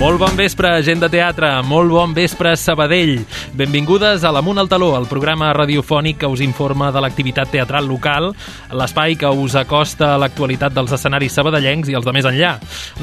Molt bon vespre, gent de teatre, molt bon vespre, Sabadell. Benvingudes a l'Amunt al Taló, el programa radiofònic que us informa de l'activitat teatral local, l'espai que us acosta a l'actualitat dels escenaris sabadellencs i els de més enllà.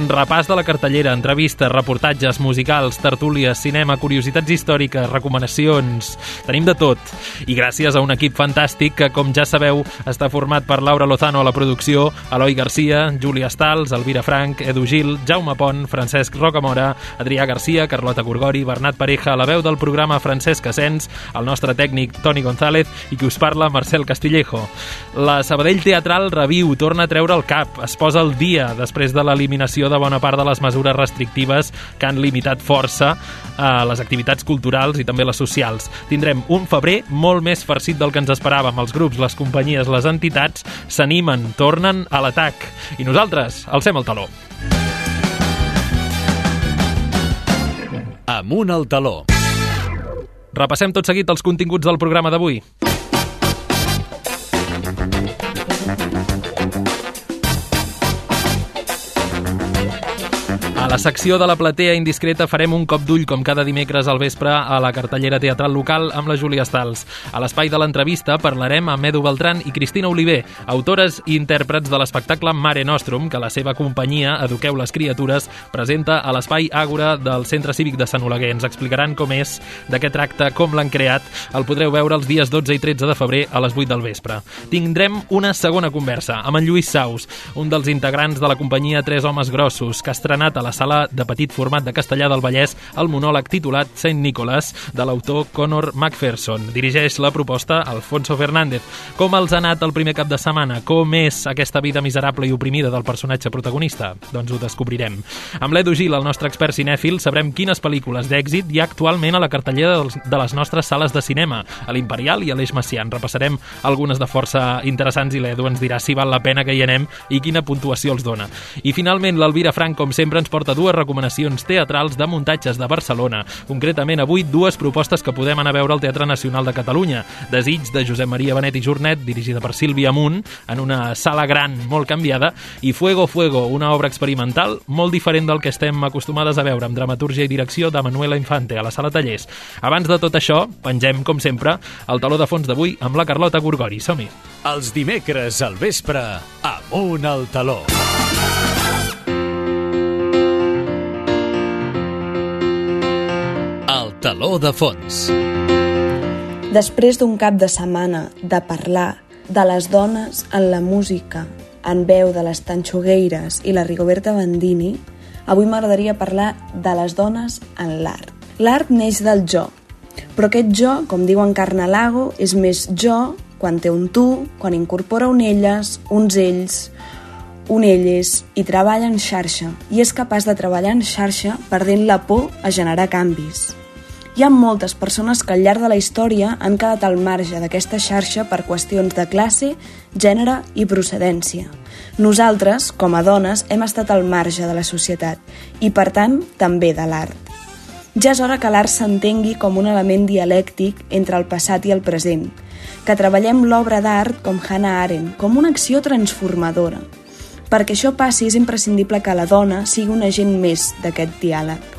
Repàs de la cartellera, entrevistes, reportatges musicals, tertúlies, cinema, curiositats històriques, recomanacions... Tenim de tot. I gràcies a un equip fantàstic que, com ja sabeu, està format per Laura Lozano a la producció, Eloi Garcia, Júlia Stals, Elvira Frank, Edu Gil, Jaume Pont, Francesc Rocamora, Adrià Garcia, Carlota Gorgori, Bernat Pareja, la veu del programa Francesc Asens, el nostre tècnic Toni González i qui us parla Marcel Castillejo. La Sabadell Teatral reviu, torna a treure el cap, es posa al dia després de l'eliminació de bona part de les mesures restrictives que han limitat força a les activitats culturals i també les socials. Tindrem un febrer molt més farcit del que ens esperàvem. Els grups, les companyies, les entitats s'animen, tornen a l'atac. I nosaltres alcem el taló. Amunt al Taló. Repassem tot seguit els continguts del programa d'avui. A la secció de la platea indiscreta farem un cop d'ull com cada dimecres al vespre a la cartellera teatral local amb la Júlia Stals. A l'espai de l'entrevista parlarem amb Edu Beltran i Cristina Oliver, autores i intèrprets de l'espectacle Mare Nostrum, que la seva companyia, Eduqueu les criatures, presenta a l'espai Àgora del Centre Cívic de Sant Oleguer. Ens explicaran com és, de què tracta, com l'han creat. El podreu veure els dies 12 i 13 de febrer a les 8 del vespre. Tindrem una segona conversa amb en Lluís Saus, un dels integrants de la companyia Tres Homes Grossos, que ha estrenat a la sala de petit format de Castellà del Vallès el monòleg titulat Saint Nicholas de l'autor Conor McPherson. Dirigeix la proposta Alfonso Fernández. Com els ha anat el primer cap de setmana? Com és aquesta vida miserable i oprimida del personatge protagonista? Doncs ho descobrirem. Amb l'Edu Gil, el nostre expert cinèfil, sabrem quines pel·lícules d'èxit hi ha actualment a la cartellera de les nostres sales de cinema, a l'Imperial i a l'Eix Macià. Repassarem algunes de força interessants i l'Edu ens dirà si val la pena que hi anem i quina puntuació els dona. I finalment l'Elvira Frank, com sempre, ens porta dues recomanacions teatrals de muntatges de Barcelona. Concretament, avui, dues propostes que podem anar a veure al Teatre Nacional de Catalunya. Desig, de Josep Maria Benet i Jornet, dirigida per Sílvia Amunt, en una sala gran molt canviada, i Fuego, Fuego, una obra experimental molt diferent del que estem acostumades a veure, amb dramatúrgia i direcció de Manuela Infante, a la Sala Tallers. Abans de tot això, pengem, com sempre, el taló de fons d'avui amb la Carlota Gorgori. Som-hi! Els dimecres al vespre, Amunt al Taló. El taló de fons. Després d'un cap de setmana de parlar de les dones en la música, en veu de les Tanxogueires i la Rigoberta Bandini, avui m'agradaria parlar de les dones en l'art. L'art neix del jo, però aquest jo, com diu en Carnalago, és més jo quan té un tu, quan incorpora un elles, uns ells, un elles i treballa en xarxa, i és capaç de treballar en xarxa perdent la por a generar canvis. Hi ha moltes persones que al llarg de la història han quedat al marge d'aquesta xarxa per qüestions de classe, gènere i procedència. Nosaltres, com a dones, hem estat al marge de la societat i, per tant, també de l'art. Ja és hora que l'art s'entengui com un element dialèctic entre el passat i el present, que treballem l'obra d'art com Hannah Arendt, com una acció transformadora. Perquè això passi és imprescindible que la dona sigui un agent més d'aquest diàleg.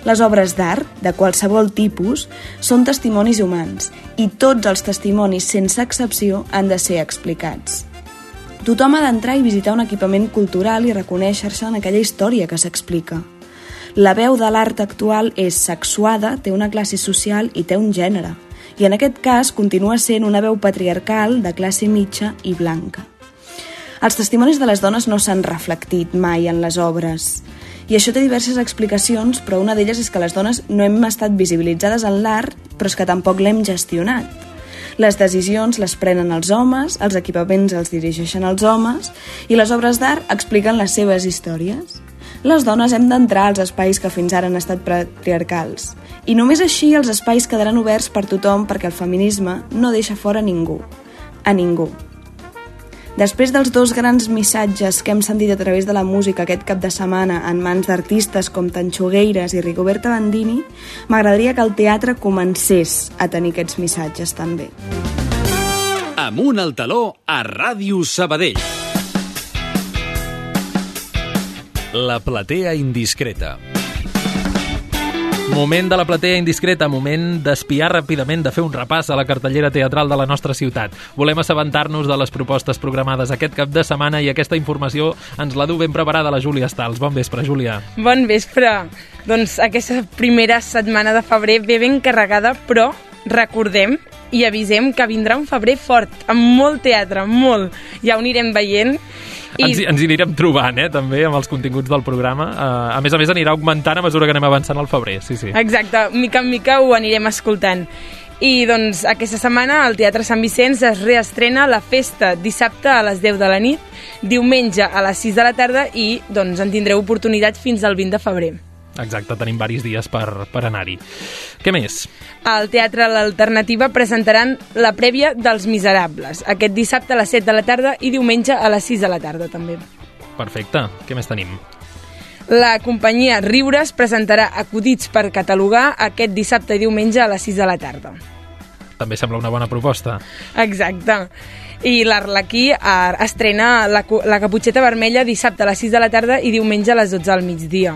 Les obres d'art, de qualsevol tipus, són testimonis humans i tots els testimonis, sense excepció, han de ser explicats. Tothom ha d'entrar i visitar un equipament cultural i reconèixer-se en aquella història que s'explica. La veu de l'art actual és sexuada, té una classe social i té un gènere. I en aquest cas continua sent una veu patriarcal de classe mitja i blanca. Els testimonis de les dones no s'han reflectit mai en les obres. I això té diverses explicacions, però una d'elles és que les dones no hem estat visibilitzades en l'art, però és que tampoc l'hem gestionat. Les decisions les prenen els homes, els equipaments els dirigeixen els homes i les obres d'art expliquen les seves històries. Les dones hem d'entrar als espais que fins ara han estat patriarcals. I només així els espais quedaran oberts per tothom perquè el feminisme no deixa fora ningú. A ningú. Després dels dos grans missatges que hem sentit a través de la música aquest cap de setmana en mans d'artistes com Tanxogueires i Rigoberta Bandini, m'agradaria que el teatre comencés a tenir aquests missatges també. Amunt al Taló a Ràdio Sabadell. La platea indiscreta. Moment de la platea indiscreta, moment d'espiar ràpidament, de fer un repàs a la cartellera teatral de la nostra ciutat. Volem assabentar-nos de les propostes programades aquest cap de setmana i aquesta informació ens la du ben preparada la Júlia Stals. Bon vespre, Júlia. Bon vespre. Doncs aquesta primera setmana de febrer ve ben carregada, però recordem i avisem que vindrà un febrer fort, amb molt teatre, molt. Ja ho anirem veient. Ens anirem trobant, també, amb els continguts del programa. A més, anirà augmentant a mesura que anem avançant al febrer, sí. Exacte, mica en mica ho anirem escoltant. I, doncs, aquesta setmana al Teatre Sant Vicenç es reestrena La Festa, dissabte a les 10 de la nit, diumenge a les 6 de la tarda i, doncs, en tindreu oportunitat fins al 20 de febrer. Exacte, tenim diversos dies per anar-hi. Què més? Al Teatre L'Alternativa presentaran la prèvia dels Miserables, aquest dissabte a les 7 de la tarda i diumenge a les 6 de la tarda, també. Perfecte. Què més tenim? La companyia Riures presentarà Acudits per catalogar aquest dissabte i diumenge a les 6 de la tarda. També sembla una bona proposta. Exacte. I l'Arlequí estrena la Caputxeta Vermella dissabte a les 6 de la tarda i diumenge a les 12 al migdia.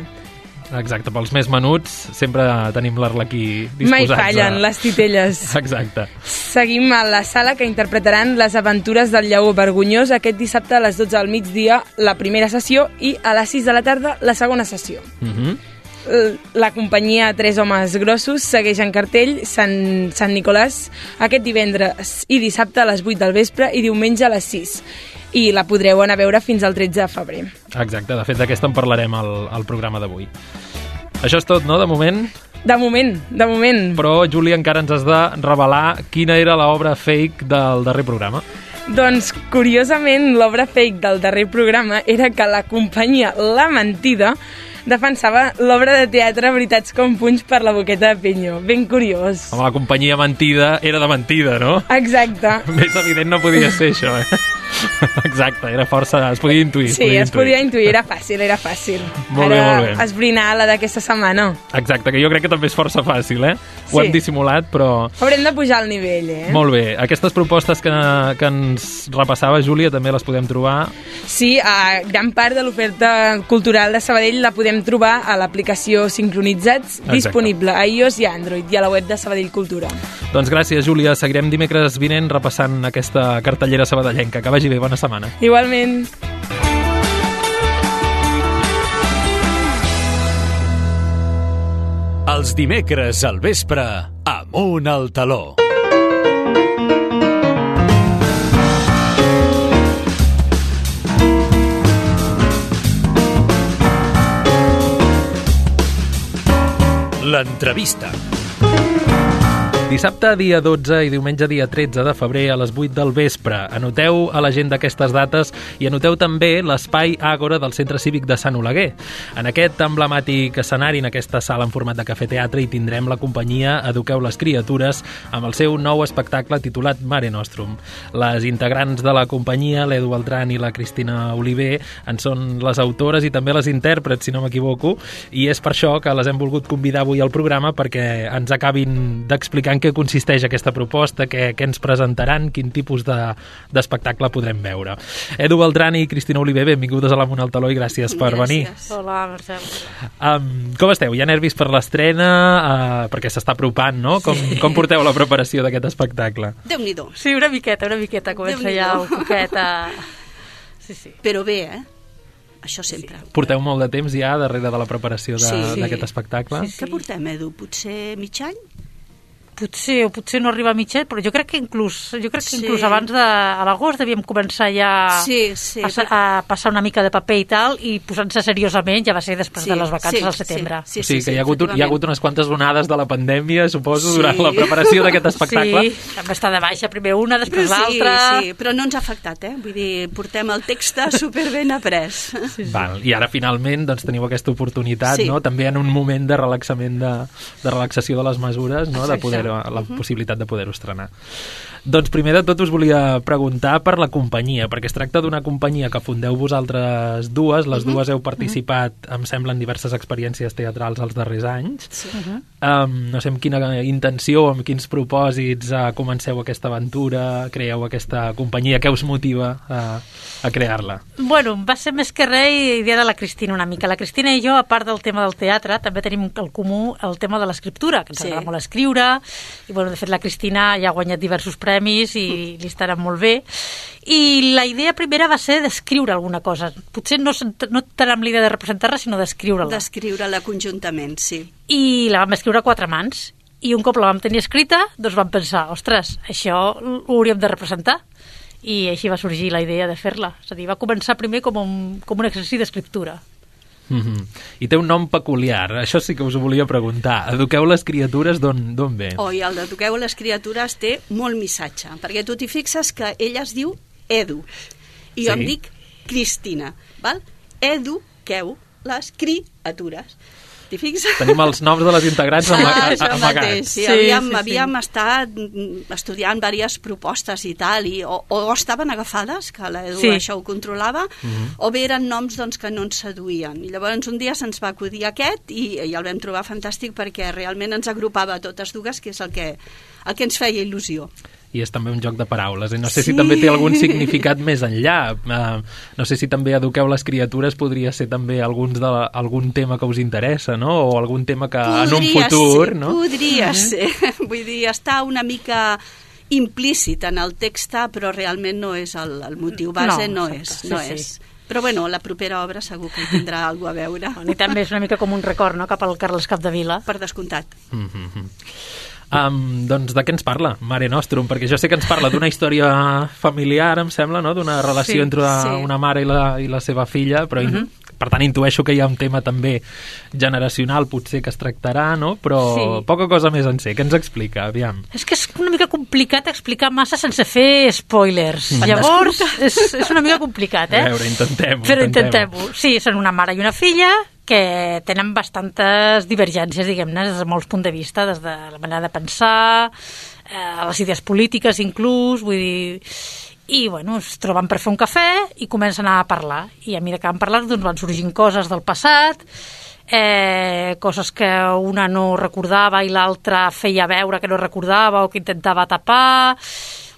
Exacte, pels més menuts sempre tenim l'Arlequí disposats. Mai fallen les titelles. Exacte. Seguim a la sala que interpretaran Les aventures del Lleó Vergonyós aquest dissabte a les 12 al migdia la primera sessió i a les 6 de la tarda la segona sessió. La companyia Tres homes grossos segueix en cartell Sant Nicolàs aquest divendres i dissabte a les 8 del vespre i diumenge a les 6. I la podreu anar a veure fins al 13 de febrer. Exacte, de fet d'aquesta en parlarem al programa d'avui. Això és tot, no, de moment? De moment. Però, Júlia, encara ens has de revelar quina era l'obra fake del darrer programa. Doncs, curiosament, l'obra fake del darrer programa era que la companyia La Mentida defensava l'obra de teatre Veritats com punys per la Boqueta de Peño. Ben curiós. Home, la companyia mentida era de mentida, no? Exacte. Més evident no podia ser això, Exacte, era força... Es podia intuir. Sí, es podia intuir, era fàcil. Molt bé. Esbrinar la d'aquesta setmana. Exacte, que jo crec que també és força fàcil, Ho hem dissimulat, però... Haurem de pujar el nivell, Molt bé. Aquestes propostes que ens repassava, Júlia, també les podem trobar? Sí, gran part de l'oferta cultural de Sabadell la podem trobar a l'aplicació Sincronitzats, disponible a iOS i a Android, i a la web de Sabadell Cultura. Doncs gràcies, Júlia. Seguirem dimecres vinent repassant aquesta cartellera sabadellenca. Que vagi bé, bona setmana. Igualment. Els dimecres al vespre, Amunt al Taló. L'entrevista. Dissabte, dia 12 i diumenge, dia 13 de febrer a les 8 del vespre. Anoteu a l'agenda aquestes dates i anoteu també l'espai Àgora del Centre Cívic de Sant Oleguer. En aquest emblemàtic escenari, en aquesta sala en format de cafè-teatre, hi tindrem la companyia Eduqueu les criatures amb el seu nou espectacle titulat Mare Nostrum. Les integrants de la companyia, l'Edu Beltran i la Cristina Oliver, en són les autores i també les intèrprets, si no m'equivoco, i és per això que les hem volgut convidar avui al programa perquè ens acabin d'explicar en què consisteix aquesta proposta, què ens presentaran, quin tipus d'espectacle podrem veure. Edu Beltran i Cristina Oliver, benvingudes a l'Amunt al Taló i gràcies per venir. Hola, Marcel. Com esteu? Hi ha nervis per l'estrena? Perquè s'està apropant, no? Com porteu la preparació d'aquest espectacle? Déu-n'hi-do. Sí, una miqueta. Comença ja el coquet a... Sí. Però bé, Això sempre. Porteu molt de temps ja darrere de la preparació d'aquest espectacle? Sí. Què portem, Edu? Potser mig any? Potser no arriba a mitja, però jo crec que inclús abans a l'agost devíem començar ja a passar una mica de paper i tal, i posant-se seriosament ja va ser després de les vacances al setembre. Sí, que hi ha hagut unes quantes onades de la pandèmia, suposo, durant la preparació d'aquest espectacle. Sí, vam estar de baixa primer una, després l'altra. Sí, però no ens ha afectat, Vull dir, portem el text superben après. Val, i ara finalment doncs, teniu aquesta oportunitat, no? També en un moment de relaxament, de relaxació de les mesures, no? De poder la possibilitat de poder-ho estrenar. Doncs primer de tot us volia preguntar per la companyia, perquè es tracta d'una companyia que fundeu vosaltres dues, les dues heu participat, em sembla, en diverses experiències teatrals els darrers anys. No sé amb quina intenció, amb quins propòsits comenceu aquesta aventura, creeu aquesta companyia, què us motiva a crear-la? Bueno, va ser més que res idea de la Cristina una mica. La Cristina i jo, a part del tema del teatre, també tenim el comú el tema de l'escriptura, que ens agrada molt escriure, i bueno, de fet la Cristina ja ha guanyat diversos premis i li estarà molt bé. I la idea primera va ser d'escriure alguna cosa. Potser no tant amb l'idea de representar-la, sinó d'escriure-la. D'escriure-la conjuntament, sí. I la vam escriure a 4 mans. I un cop la vam tenir escrita, doncs vam pensar, ostres, això ho hauríem de representar. I així va sorgir la idea de fer-la. És a dir, va començar primer com un exercici d'escriptura. I té un nom peculiar, això sí que us ho volia preguntar. Eduqueu les criatures, d'on ve? I el d'Eduqueu les criatures té molt missatge, perquè tu t'hi fixes que ella es diu Edu, i jo em dic Cristina, val? Eduqueu les criatures. T'hi fixes? Tenim els noms de les integrants amagats. Sí, havíem estat estudiant diverses propostes i tal, o estaven agafades, que l'Edu això ho controlava, o bé eren noms que no ens seduïen. I llavors un dia se'ns va acudir aquest i el vam trobar fantàstic perquè realment ens agrupava a totes dues, que és el que ens feia il·lusió. I és també un joc de paraules. No sé si també té algun significat més enllà. No sé si també Eduqueu les criatures podria ser també algun tema que us interessa, no? O algun tema que en un futur... Podria ser. Vull dir, està una mica implícit en el text, però realment no és el motiu base, no és. Però bueno, la propera obra segur que hi tindrà alguna cosa a veure. I també és una mica com un record, no?, cap al Carles Capdevila. Per descomptat. Doncs de què ens parla Mare Nostrum? Perquè jo sé que ens parla d'una història familiar, em sembla, no?, d'una relació entre una mare i la seva filla, però per tant intueixo que hi ha un tema també generacional potser que es tractarà, no? Però poca cosa més en sé. Què ens explica? Aviam. És que és una mica complicat explicar massa sense fer spoilers. Llavors és una mica complicat, A veure, intentem-ho. Però intentem-ho. Sí, són una mare i una filla que tenen bastantes divergències, diguem-ne, des de molts punts de vista, des de la manera de pensar, les idees polítiques inclús, vull dir... I, bueno, es troben per fer un cafè i comencen a parlar. I a mesura que van parlant, doncs van sorgint coses del passat, coses que una no recordava i l'altra feia veure que no recordava o que intentava tapar...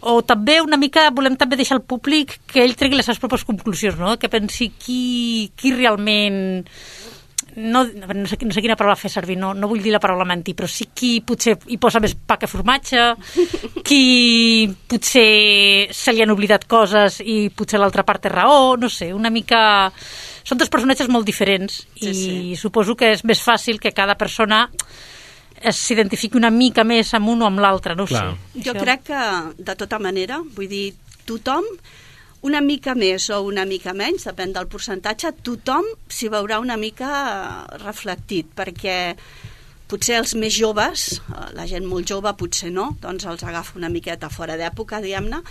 O també una mica volem també deixar al públic que ell tregui les seves pròpies conclusions, no? Que pensi qui realment... No sé quina paraula fer servir, no vull dir la paraula mentir, però sí qui potser hi posa més pa que formatge, qui potser se li han oblidat coses i potser l'altra part té raó, no sé, una mica... Són dos personatges molt diferents i suposo que és més fàcil que cada persona s'identifiqui una mica més amb un o amb l'altre, no ho sé. Jo crec que, de tota manera, vull dir, tothom, una mica més o una mica menys, depèn del percentatge, tothom s'hi veurà una mica reflectit, perquè potser els més joves, la gent molt jove potser no, doncs els agafa una miqueta fora d'època, diguem-ne,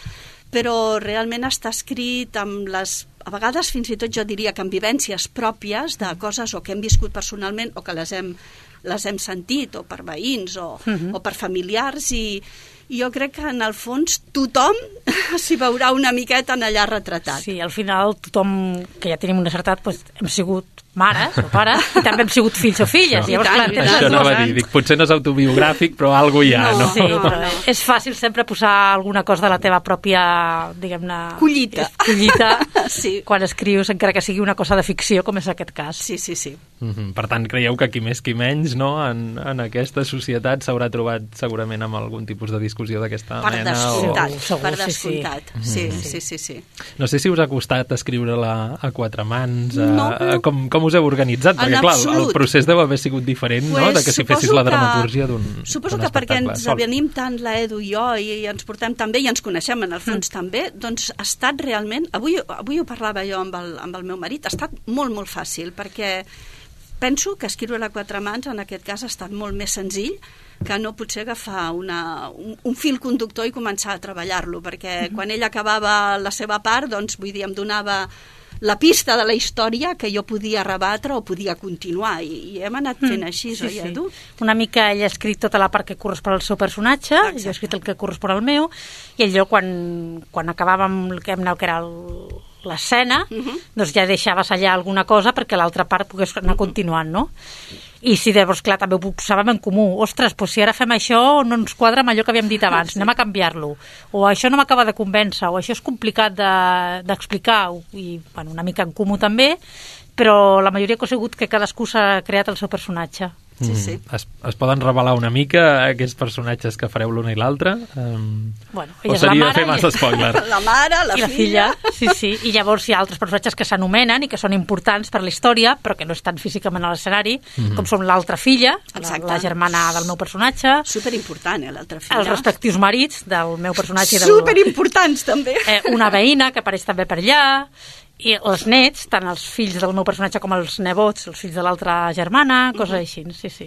però realment està escrit amb a vegades fins i tot jo diria que amb vivències pròpies de coses o que hem viscut personalment o que les hem sentit, o per veïns o per familiars, i jo crec que en el fons tothom s'hi veurà una miqueta en allà retratat. Sí, al final tothom que ja tenim una certa edat, doncs hem sigut mares o pares, i també hem sigut fills o filles. Llavors, clar, això anava a dir, potser no és autobiogràfic, però alguna cosa hi ha, no? Sí, però és fàcil sempre posar alguna cosa de la teva pròpia, diguem-ne... Collita. Quan escrius, encara que sigui una cosa de ficció, com és aquest cas. Sí. Per tant, creieu que qui més qui menys, no?, en aquesta societat s'haurà trobat segurament amb algun tipus de discussió d'aquesta mena? Per descomptat. Sí. No sé si us ha costat escriure-la a 4 mans, com us heu organitzat? Perquè, clar, el procés deu haver sigut diferent, no?, de que si fessis la dramatúrgia d'un espectacle. Suposo que perquè ens venim tant la Edu i jo i ens portem tan bé i ens coneixem en el fons també, doncs ha estat realment... Avui ho parlava jo amb el meu marit, ha estat molt, molt fàcil, perquè penso que escriure a 4 mans en aquest cas ha estat molt més senzill que no potser agafar un fil conductor i començar a treballar-lo, perquè quan ell acabava la seva part, doncs vull dir, em donava la pista de la història que jo podia rebatre o podia continuar, i hem anat fent així, oi, Edu? Una mica ell ha escrit tota la part que correspon al seu personatge, jo he escrit el que correspon al meu, i allò quan acabàvem el que era l'escena, doncs ja deixaves allà alguna cosa perquè l'altra part pogués anar continuant, no? I si llavors, clar, també ho posàvem en comú. Ostres, doncs si ara fem això no ens quadra amb allò que havíem dit abans, anem a canviar-lo. O això no m'acaba de convèncer, o això és complicat d'explicar, i bueno, una mica en comú també, però la majoria ha sigut que cadascú s'ha creat el seu personatge. Sí, sí. Es poden revelar una mica aquests personatges que fareu l'una i l'altra? Bueno, o seria fer massa spoiler? La mare, la filla. Sí. I llavors hi ha altres personatges que s'anomenen i que són importants per la història, però que no estan físicament a l'escenari, com són l'altra filla, la germana del meu personatge. Superimportant, l'altra filla. Els respectius marits del meu personatge. Superimportants, també. Una veïna que apareix també per allà, i els nets, tant els fills del meu personatge com els nebots, els fills de l'altra germana, coses així, sí.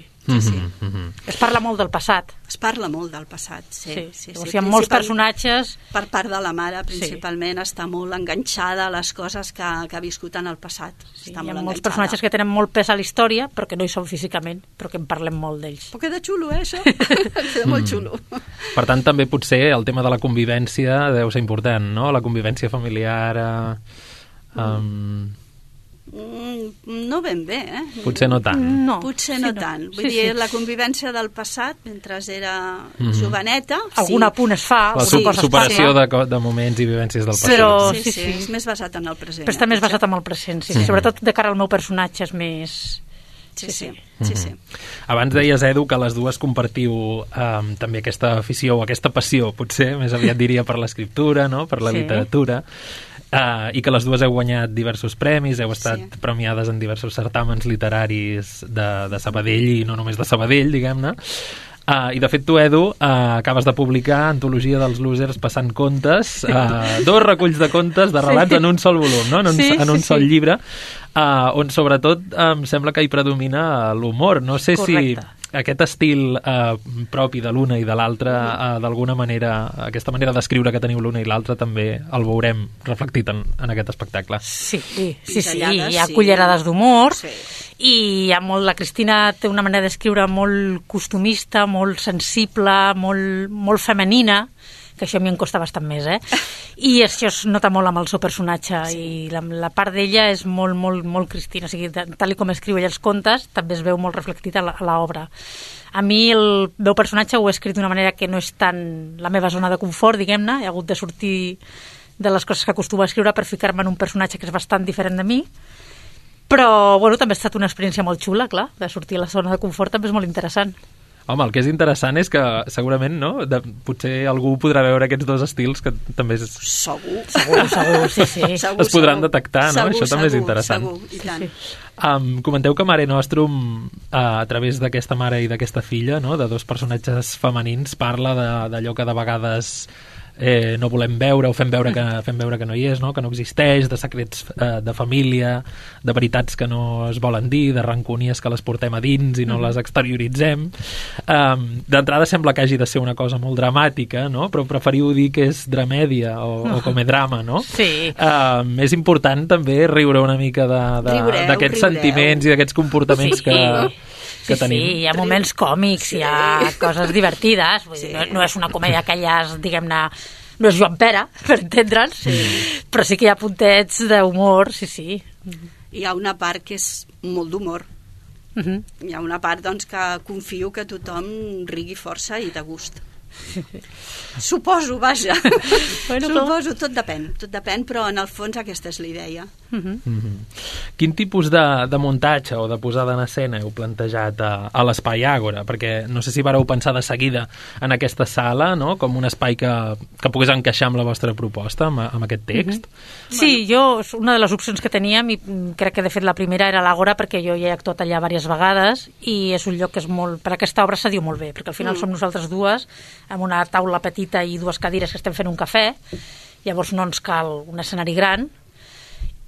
Es parla molt del passat. Es parla molt del passat, sí. Llavors hi ha molts personatges... Per part de la mare, principalment, està molt enganxada a les coses que ha viscut en el passat. Hi ha molts personatges que tenen molt pes a la història, però que no hi són físicament, però que en parlem molt d'ells. Però queda xulo, això? Queda molt xulo. Per tant, també potser el tema de la convivència deu ser important, no? La convivència familiar... No ben bé, Potser no tant. Potser no tant. Vull dir, la convivència del passat, mentre era joveneta... Algun apunt es fa. La superació de moments i vivències del passat. Sí, és més basat en el present. Però està més basat en el present, sí. Sobretot de cara al meu personatge és més... Sí. Abans deies, Edu, que les dues compartiu també aquesta afició o aquesta passió, potser, més aviat diria, per l'escriptura, no? Per la literatura, i que les dues heu guanyat diversos premis, heu estat premiades en diversos certàmens literaris de Sabadell, i no només de Sabadell, diguem-ne. I de fet tu, Edu, acabes de publicar Antologia dels losers passant contes, 2 reculls de contes de relats en un sol volum, no? En un sol llibre, on sobretot em sembla que hi predomina l'humor. No sé si aquest estil propi de l'una i de l'altra, d'alguna manera, aquesta manera d'escriure que teniu l'una i l'altra, també el veurem reflectit en aquest espectacle. Sí, hi ha cullerades d'humor, i la Cristina té una manera d'escriure molt costumista, molt sensible, molt femenina, que això a mi em costa bastant més, i això es nota molt amb el seu personatge, i la part d'ella és molt Cristina, o sigui, tal com escriu ella els contes, també es veu molt reflectit a l'obra. A mi el meu personatge ho he escrit d'una manera que no és tant la meva zona de confort, diguem-ne, he hagut de sortir de les coses que acostumo a escriure per ficar-me en un personatge que és bastant diferent de mi, però bueno, també ha estat una experiència molt xula, clar, de sortir a la zona de confort també és molt interessant. Home, el que és interessant és que segurament, no? Potser algú podrà veure aquests dos estils que també Segur, sí. Es podran detectar, no? Això també és interessant. Segur, i tant. Comenteu que Mare Nostrum, a través d'aquesta mare i d'aquesta filla, no? De dos personatges femenins, parla d'allò que de vegades no volem veure o fem veure que no hi és, no? Que no existeix, de secrets de família, de veritats que no es volen dir, de rancúnies que les portem a dins i no les exterioritzem. D'entrada sembla que hagi de ser una cosa molt dramàtica, no? Però preferiu dir que és dramèdia o comedrama, no? Sí. És important també riure una mica d'aquests sentiments i d'aquests comportaments que tenim. Sí, hi ha moments còmics, hi ha coses divertides, vull dir, no és una comèdia que no és Joan Pere, per entendre'ns, però sí que hi ha puntets d'humor, sí. Hi ha una part que és molt d'humor. Hi ha una part, doncs, que confio que tothom rigui força i de gust. Suposo, vaja. Suposo, tot depèn, però en el fons aquesta és la idea. Quin tipus de muntatge o de posada en escena heu plantejat a l'Espai Àgora? Perquè no sé si vareu pensar de seguida en aquesta sala, no? Com un espai que pogués encaixar amb la vostra proposta, amb aquest text. Sí, una de les opcions que teníem, i crec que de fet la primera era l'Àgora, perquè jo ja he actuat allà diverses vegades, i és un lloc que és molt... Per aquesta obra se diu molt bé, perquè al final som nosaltres dues, amb una taula petita i 2 cadires que estem fent un cafè, llavors no ens cal un escenari gran,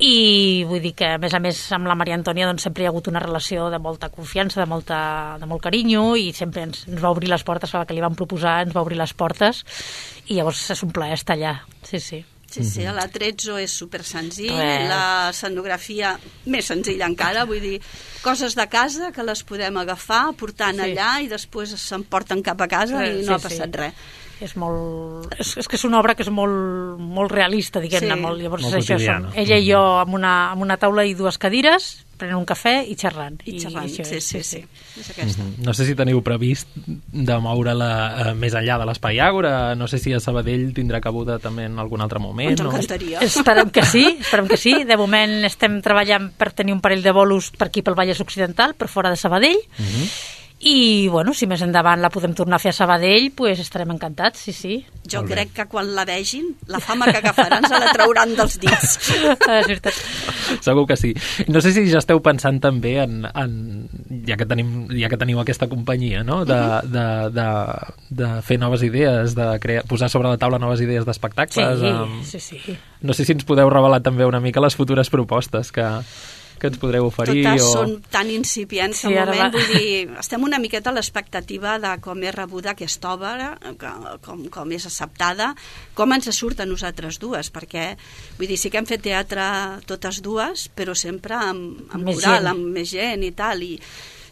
i vull dir que a més amb la Maria Antònia doncs sempre hi ha hagut una relació de molta confiança, de molt carinyo, i sempre ens va obrir les portes, a la que li vam proposar ens va obrir les portes, i llavors és un plaer estar allà, sí. Sí, l'Atrezzo és super senzill, l'escenografia més senzilla encara, vull dir, coses de casa que les podem agafar, portant allà i després s'emporten cap a casa i no ha passat res. És que és una obra que és molt realista, diguem-ne, llavors molt això quotidiana. Ella i jo amb una taula i dues cadires, prenent un cafè i xerrant. Sí. És aquesta. No sé si teniu previst de moure-la més enllà de l'Espai Àgora, no sé si a Sabadell tindrà cabuda també en algun altre moment. Ens encantaria. Esperem que sí. De moment estem treballant per tenir un parell de bolos per aquí pel Vallès Occidental, per fora de Sabadell, i, bueno, si més endavant la podem tornar a fer a Sabadell, pues estarem encantats, sí. Jo crec que quan la vegin, la fama que agafaran se la trauran dels dits. És veritat. Segur que sí. No sé si ja esteu pensant també en ja que teniu aquesta companyia, no? De fer noves idees, de posar sobre la taula noves idees d'espectacles. Sí. No sé si ens podeu revelar també una mica les futures propostes que ens podreu oferir. Totes són tan incipients al moment, vull dir, estem una miqueta a l'expectativa de com és rebuda aquesta obra, com és acceptada, com ens surt a nosaltres dues, perquè, vull dir, sí que hem fet teatre totes dues, però sempre amb moral, amb més gent i tal, i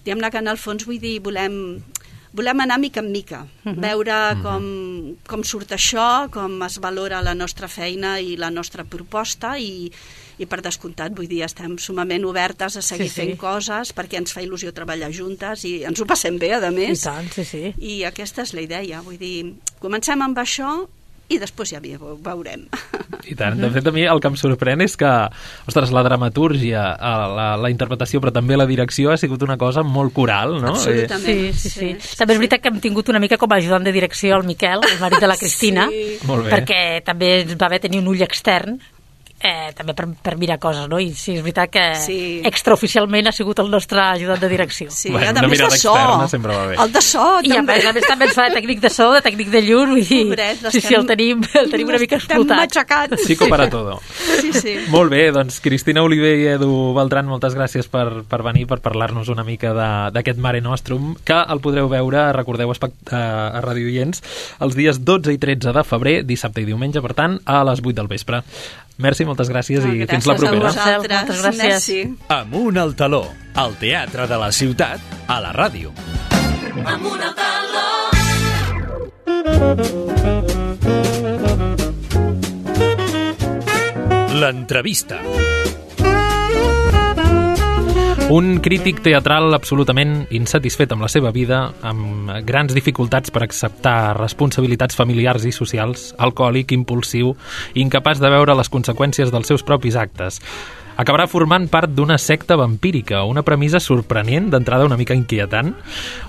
diguem-ne que en el fons, vull dir, volem anar mica en mica, veure com surt això, com es valora la nostra feina i la nostra proposta, i per descomptat, vull dir, estem sumament obertes a seguir fent coses perquè ens fa il·lusió treballar juntes i ens ho passem bé, a més. I tant, sí. I aquesta és la idea, vull dir, comencem amb això i després ja veurem. I tant, de fet a mi el que em sorprèn és que, ostres, la dramatúrgia, la interpretació, però també la direcció ha sigut una cosa molt coral, no? Absolutament. Sí. També és veritat que hem tingut una mica com a ajudant de direcció el Miquel, el marit de la Cristina, perquè també va haver tenir un ull extern, també per mirar coses, no? I sí, és veritat que extraoficialment ha sigut el nostre ajudant de direcció. Sí, bueno, a més de so. El de so, també. I a més també ens fa de tècnic de so, de tècnic de llum, vull dir, el tenim una mica explotat. Matxacat. Psico para todo. Sí. Molt bé, doncs Cristina Oliver i Edu Beltran, moltes gràcies per venir, per parlar-nos una mica d'aquest Mare Nostrum, que el podreu veure, recordeu, a Ràdio Oients, els dies 12 i 13 de febrer, dissabte i diumenge, per tant, a les 8 del vespre. Merci, moltes gràcies i fins la propera. Moltes gràcies. Amunt al taló, al teatre de la ciutat, a la ràdio. Amunt al taló. L'entrevista. Un crític teatral absolutament insatisfet amb la seva vida, amb grans dificultats per acceptar responsabilitats familiars i socials, alcohòlic, impulsiu, incapaç de veure les conseqüències dels seus propis actes. Acabarà formant part d'una secta vampírica, una premissa sorprenent, d'entrada una mica inquietant.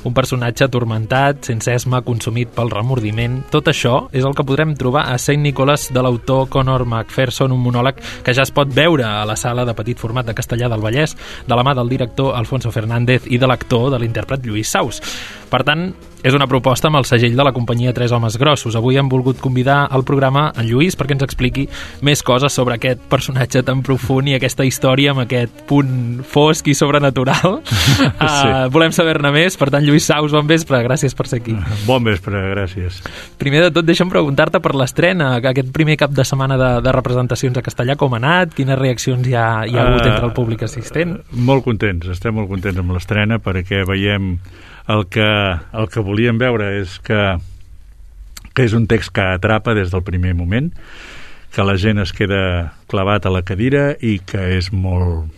Un personatge atormentat, sense esma, consumit pel remordiment. Tot això és el que podrem trobar a Saint Nicholas de l'autor Conor McPherson, un monòleg que ja es pot veure a la sala de petit format de Castellar del Vallès, de la mà del director Alfonso Fernández i de l'actor, de l'intèrpret Lluís Saus. Per tant, és una proposta amb el segell de la companyia Tres Homes Grossos. Avui hem volgut convidar al programa en Lluís perquè ens expliqui més coses sobre aquest personatge tan profund i aquesta història amb aquest punt fosc i sobrenatural. Volem saber-ne més. Per tant, Lluís Saus, bon vespre. Gràcies per ser aquí. Bon vespre, gràcies. Primer de tot, deixa'm preguntar-te per l'estrena, aquest primer cap de setmana de representacions a Castellar, com ha anat? Quines reaccions hi ha hagut entre el públic assistent? Molt contents, estem molt contents amb l'estrena perquè veiem el que volíem veure és que és un text que atrapa des del primer moment, que la gent es queda clavat a la cadira i que és molt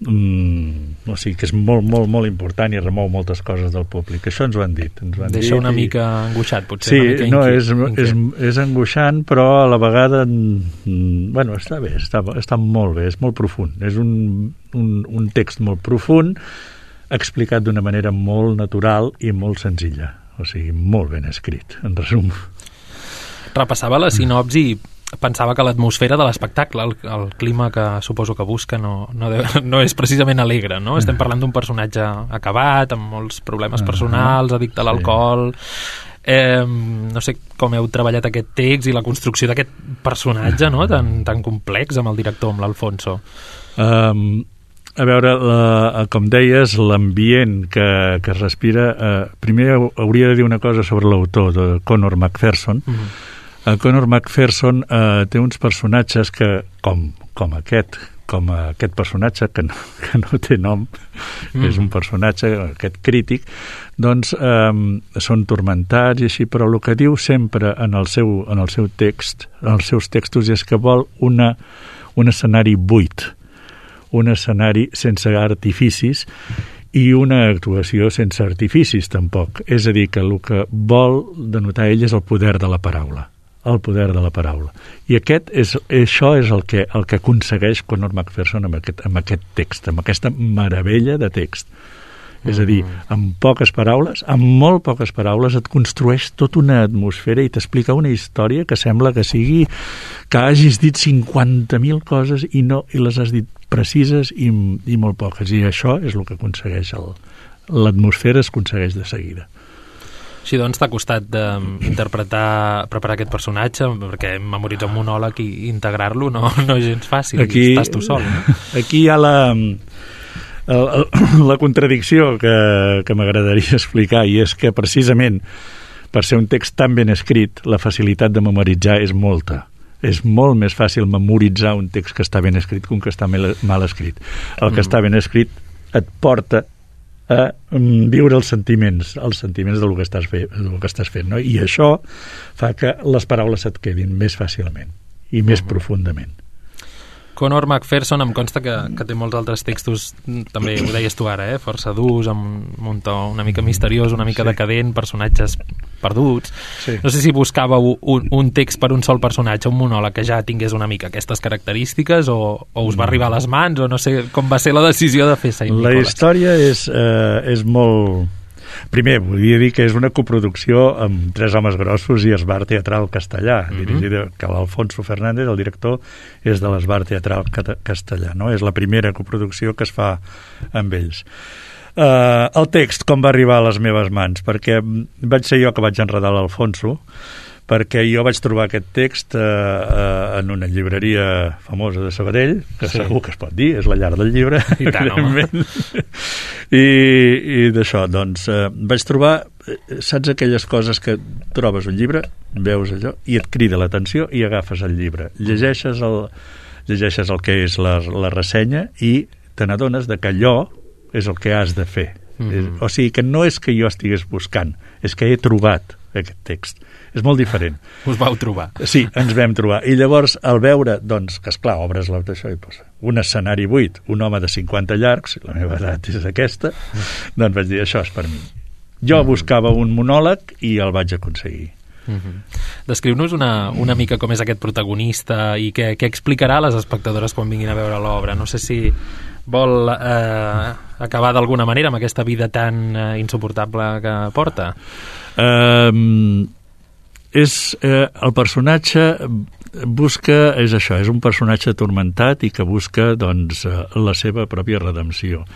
que és molt important i remou moltes coses del públic. Això ens ho han dit. Deixa una mica angoixat, potser. Sí, no, és angoixant, però a la vegada bueno, està bé, està molt bé, és molt profund. És un text molt profund, explicat d'una manera molt natural i molt senzilla, o sigui, molt ben escrit, en resum. Repassava la sinopsi i pensava que l'atmosfera de l'espectacle, el clima que suposo que busca no és precisament alegre, no? Estem parlant d'un personatge acabat, amb molts problemes personals, addicte a l'alcohol. No sé com heu treballat aquest text i la construcció d'aquest personatge, no? tan complex amb el director, amb l'Alfonso. A veure, com deies, l'ambient que es respira... primer hauria de dir una cosa sobre l'autor, de Conor McPherson. Conor McPherson té uns personatges que, com aquest personatge que no té nom, és un personatge, aquest crític, doncs són tormentats i així, però el que diu sempre en el seu text, en els seus textos, és que vol un escenari buit, un escenari sense artificis i una actuació sense artificis tampoc. És a dir, que el que vol denotar ell és el poder de la paraula. El poder de la paraula. I això és el que aconsegueix Conor McPherson amb aquest text, amb aquesta meravella de text. És a dir, amb poques paraules, amb molt poques paraules, et construeix tota una atmosfera i t'explica una història que sembla que hagis dit 50.000 coses i les has dit precises i molt poques. I això és el que aconsegueix l'atmosfera, es aconsegueix de seguida. Així doncs, t'ha costat preparar aquest personatge, perquè memoritzar un monòleg i integrar-lo no és gens fàcil, estàs tu sol. No? Aquí hi ha la contradicció que m'agradaria explicar, i és que precisament per ser un text tan ben escrit, la facilitat de memoritzar és molta. És molt més fàcil memoritzar un text que està ben escrit que un que està mal escrit. El que està ben escrit et porta a viure els sentiments del que estàs fent, no? I això fa que les paraules et quedin més fàcilment i més profundament. Conor McPherson em consta que té molts altres textos, també ho deies tu ara, força durs, amb un to una mica misteriós, una mica decadent, personatges perduts. Sí. No sé si buscàveu un text per un sol personatge, un monòleg que ja tingués una mica aquestes característiques, o us va arribar a les mans, o no sé com va ser la decisió de fer Saint Nicholas. La història és molt... Primer, volia dir que és una coproducció amb Tres homes grossos i Esbar Teatral Castellà, dirigida, que l'Alfonso Fernández, el director, és de l'Esbar Teatral Castellà, no? És la primera coproducció que es fa amb ells. El text, com va arribar a les meves mans? Perquè vaig ser jo que vaig enredar l'Alfonso, perquè jo vaig trobar aquest text en una llibreria famosa de Sabadell, que segur que es pot dir, és la llar del llibre, i tant, home. I d'això, doncs, vaig trobar, saps aquelles coses que trobes un llibre, veus allò, i et crida l'atenció i agafes el llibre. Llegeixes el que és la ressenya i te n'adones de que allò és el que has de fer. O sigui, que no és que jo estigués buscant, és que he trobat aquest text. És molt diferent. Us vau trobar. Sí, ens vam trobar. I llavors, al veure, doncs, que esclar, obres l'això i posa un escenari buit, un home de 50 llargs, la meva edat és aquesta, doncs vaig dir, això és per mi. Jo buscava un monòleg i el vaig aconseguir. Descriu-nos una mica com és aquest protagonista i què explicarà a les espectadores quan vinguin a veure l'obra. No sé si vol acabar d'alguna manera amb aquesta vida tan insuportable que porta. El personatge és això, és un personatge atormentat i que busca, doncs, la seva pròpia redempció.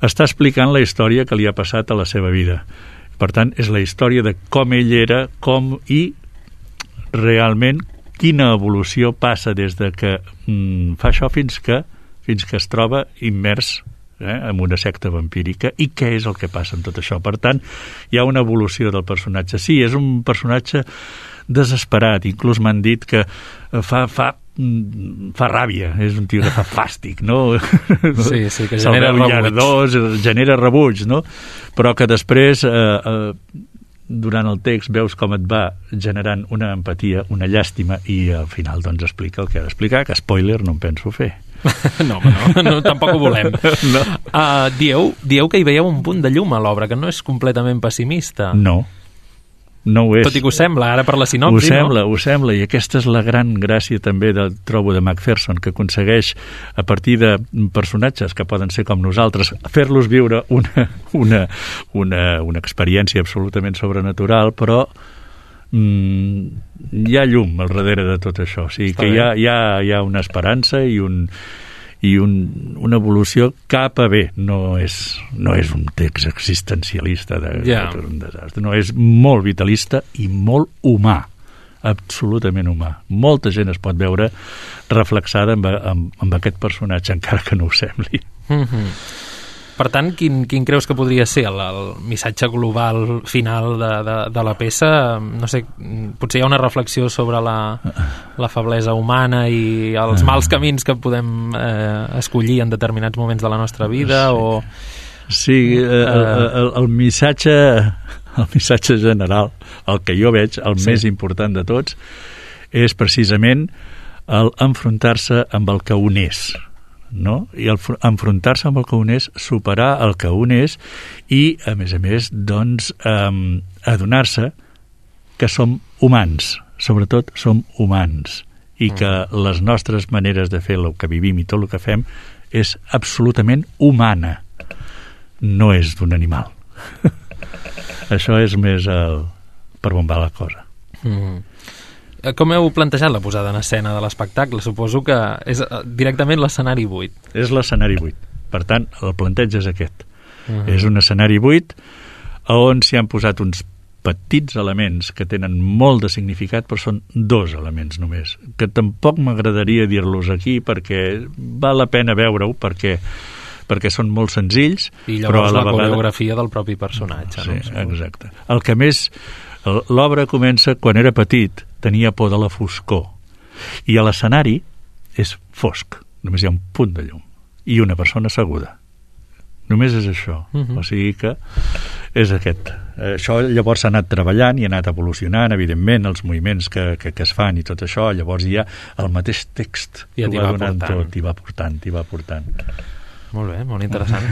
Està explicant la història que li ha passat a la seva vida. Per tant, és la història de com ell era, com i realment quina evolució passa des de que fa això fins que es troba immers en una secta vampírica, i què és el que passa amb tot això. Per tant, hi ha una evolució del personatge. Sí, és un personatge desesperat, inclús m'han dit que fa ràbia, és un tio que fa fàstic, no? Sí, que genera rebuig. Genera rebuig, no? Però que després, durant el text, veus com et va generant una empatia, una llàstima, i al final doncs explica el que ha d'explicar, que spoiler no em penso fer. No, tampoc ho volem. No. Dieu que hi veieu un punt de llum a l'obra, que no és completament pessimista. No ho és. Tot i que ho sembla, ara per la sinopsi, Ho sembla, i aquesta és la gran gràcia també trobo de McPherson, que aconsegueix, a partir de personatges que poden ser com nosaltres, fer-los viure una experiència absolutament sobrenatural, però hi ha llum al darrere de tot això, o sigui que hi ha una esperança i una evolució cap a bé. No és un text existencialista d'un desastre, no, és molt vitalista i molt humà, absolutament humà. Molta gent es pot veure reflexada amb aquest personatge, encara que no ho sembli. Per tant, quin creus que podria ser el missatge global final de la peça? No sé, potser hi ha una reflexió sobre la feblesa humana i els mals camins que podem escollir en determinats moments de la nostra vida, o... Sí, el missatge general, el que jo veig, el més important de tots, és precisament el enfrontar-se amb el que un és, no? I enfrontar-se amb el que un és, superar el que un és i, a més, doncs, adonar-se que som humans, sobretot som humans, i que les nostres maneres de fer el que vivim i tot el que fem és absolutament humana, no és d'un animal. Això és més per bombar la cosa. Com heu plantejat la posada en escena de l'espectacle? Suposo que és directament l'escenari buit. És l'escenari buit. Per tant, el planteig és aquest. És un escenari buit on s'hi han posat uns petits elements que tenen molt de significat, però són 2 elements només, que tampoc m'agradaria dir-los aquí perquè val la pena veure-ho, perquè són molt senzills. I llavors la coreografia del propi personatge. Sí, exacte. El que més... L'obra comença quan era petit, tenia por de la foscor. I a l'escenari és fosc. Només hi ha un punt de llum. I una persona asseguda. Només és això. O sigui que és aquest. Això llavors s'ha anat treballant i ha anat evolucionant, evidentment, els moviments que es fan i tot això. Llavors hi ha el mateix text. I va donant tot, i va portant. Molt bé, molt interessant.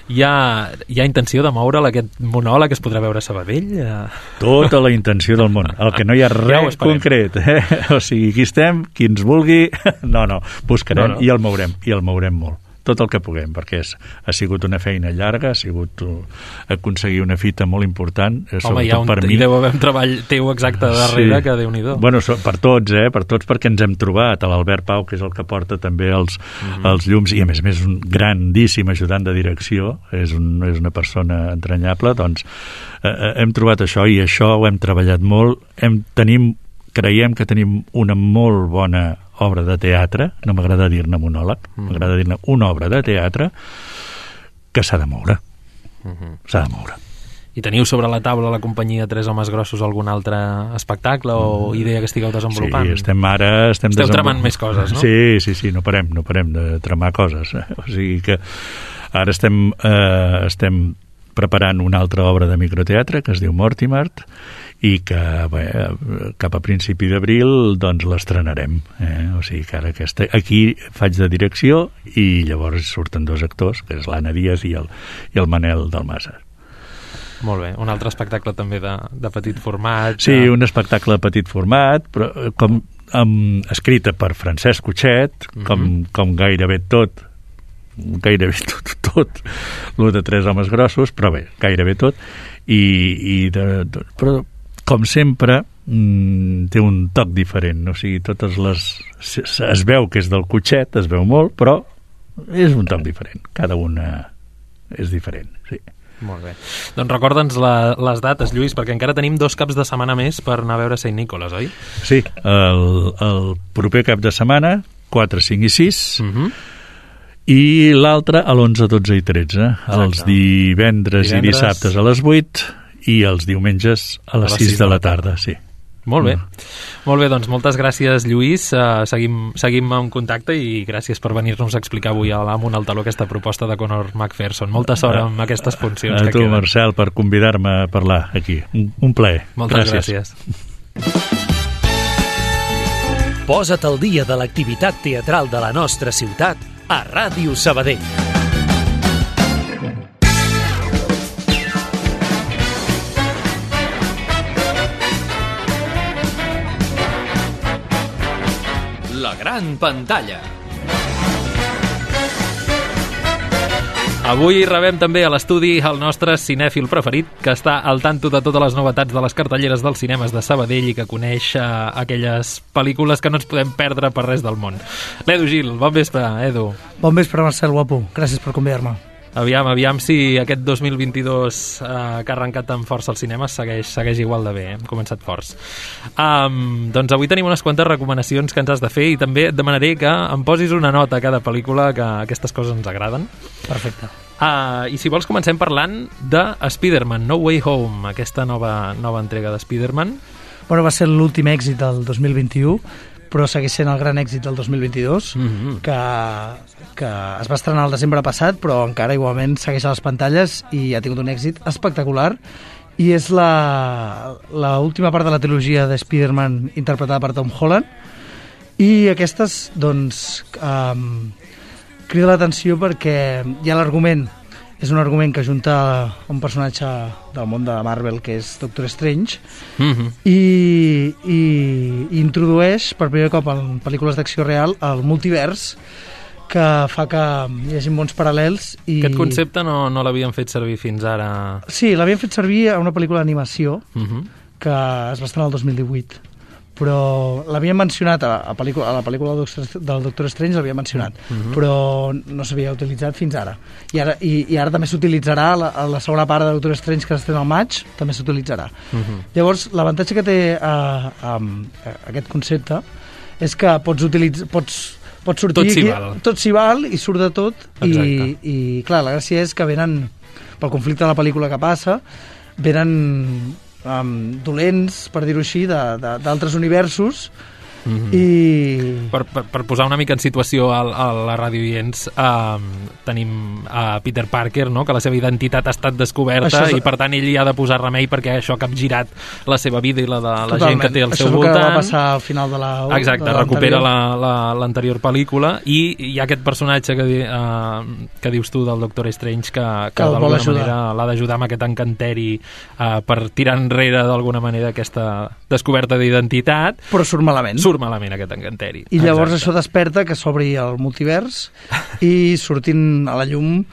Hi ha intenció de moure'l, aquest monòleg es podrà veure a Sabadell? Tota la intenció del món. El que no hi ha res concret. O sigui, aquí estem, qui ens vulgui... No, buscarem i el mourem molt. Tot el que puguem, perquè ha sigut una feina llarga, ha sigut aconseguir una fita molt important, sobretot per mi. Hi deu haver un treball teu exacte darrere, que Déu-n'hi-do. Bueno, per tots, perquè ens hem trobat, l'Albert Pau, que és el que porta també els llums, i a més és un grandíssim ajudant de direcció, és una persona entranyable, doncs hem trobat això, i això ho hem treballat molt, creiem que tenim una molt bona obra de teatre, no m'agrada dir-ne monòleg, m'agrada dir-ne una obra de teatre que s'ha de moure. S'ha de moure. I teniu sobre la taula la companyia Tres Homes Grossos algun altre espectacle o idea que estigueu desenvolupant? Sí, estem tramant més coses, no? Sí, no parem de tramar coses. O sigui que ara estem preparant una altra obra de microteatre que es diu Mortimer, i que cap a principi d'abril doncs l'estrenarem. O sigui que ara aquí faig de direcció i llavors surten 2 actors, que és l'Anna Díaz i el Manel Dalmasa. Molt bé, un altre espectacle també de petit format. Sí, un espectacle de petit format, però escrita per Francesc Cotxet, com gairebé tot, el de Tres Homes Grossos, però bé, gairebé tot, però com sempre té un toc diferent, o sigui, es veu que és del Cotxet, es veu molt, però és un toc diferent, cada una és diferent, sí. Molt bé. Doncs recorda'ns les dates, Lluís, perquè encara tenim 2 caps de setmana més per anar a veure Sant Nicolas, oi? Sí, el proper cap de setmana, 4, 5 i 6, i l'altre a l'11, 12 i 13. Exacte. Els divendres i dissabtes a les 8 i els diumenges a les 6 de la tarda, sí. Molt bé. Molt bé, doncs moltes gràcies, Lluís. Seguim en contacte i gràcies per venir-nos a explicar avui amunt al taló aquesta proposta de Conor McPherson. Molta sort amb aquestes funcions que queden. A tu, Marcel, per convidar-me a parlar aquí. Un plaer. Moltes gràcies. Posa't al dia de l'activitat teatral de la nostra ciutat a Ràdio Sabadell. La gran pantalla. Avui rebem també a l'estudi el nostre cinèfil preferit, que està al tanto de totes les novetats de les cartelleres dels cinemes de Sabadell i que coneix aquelles pel·lícules que no ens podem perdre per res del món. L'Edu Gil, bon vespre, Edu. Bon vespre, Marcel, guapo. Gràcies per convidar-me. Aviam si aquest 2022 que ha arrencat amb força als cinemes segueix igual de bé, hem començat forts. Doncs avui tenim unes quantes recomanacions que ens has de fer i també et demanaré que em posis una nota a cada pel·lícula, que aquestes coses ens agraden. Perfecte. I si vols comencem parlant de Spider-Man, No Way Home, aquesta nova entrega de Spider-Man. Bueno, va ser l'últim èxit del 2021, però segueix sent el gran èxit del 2022, que es va estrenar el desembre passat, però encara igualment segueix a les pantalles i ha tingut un èxit espectacular. I és l'última part de la trilogia de Spider-Man interpretada per Tom Holland, i aquestes, doncs, crida l'atenció perquè hi ha l'argument, és un argument que junta un personatge del món de Marvel, que és Doctor Strange, i introdueix per primer cop en pel·lícules d'acció real el multivers, que fa que hi hagi bons paral·lels. Aquest concepte no l'havien fet servir fins ara. Sí, l'havien fet servir a una pel·lícula d'animació que es va estrenar el 2018, però l'havien mencionat a la pel·lícula del Doctor Strange, l'havien mencionat, però no s'havia utilitzat fins ara. I ara també s'utilitzarà a la segona part de Doctor Strange, que s'estrena al maig, també s'utilitzarà. Llavors, l'avantatge que té aquest concepte és que pots sortir tot s'hi val i surt de tot. I clar, la gràcia és que venen, pel conflicte de la pel·lícula que passa, venen dolents, per dir-ho així, d'altres universos. I per posar una mica en situació a la ràdio oients, tenim a Peter Parker, no? Que la seva identitat ha estat descoberta i per tant ell hi ha de posar remei perquè això ha capgirat la seva vida i la de la gent que té al seu voltant. Això és el que va passar al final de l'anterior. Exacte, recupera l'anterior pel·lícula i hi ha aquest personatge que dius tu del Doctor Strange que d'alguna manera l'ha d'ajudar amb aquest encanteri per tirar enrere d'alguna manera aquesta descoberta d'identitat. Però surt malament aquest encanteri. I llavors això desperta que s'obri el multivers i sortint a la llum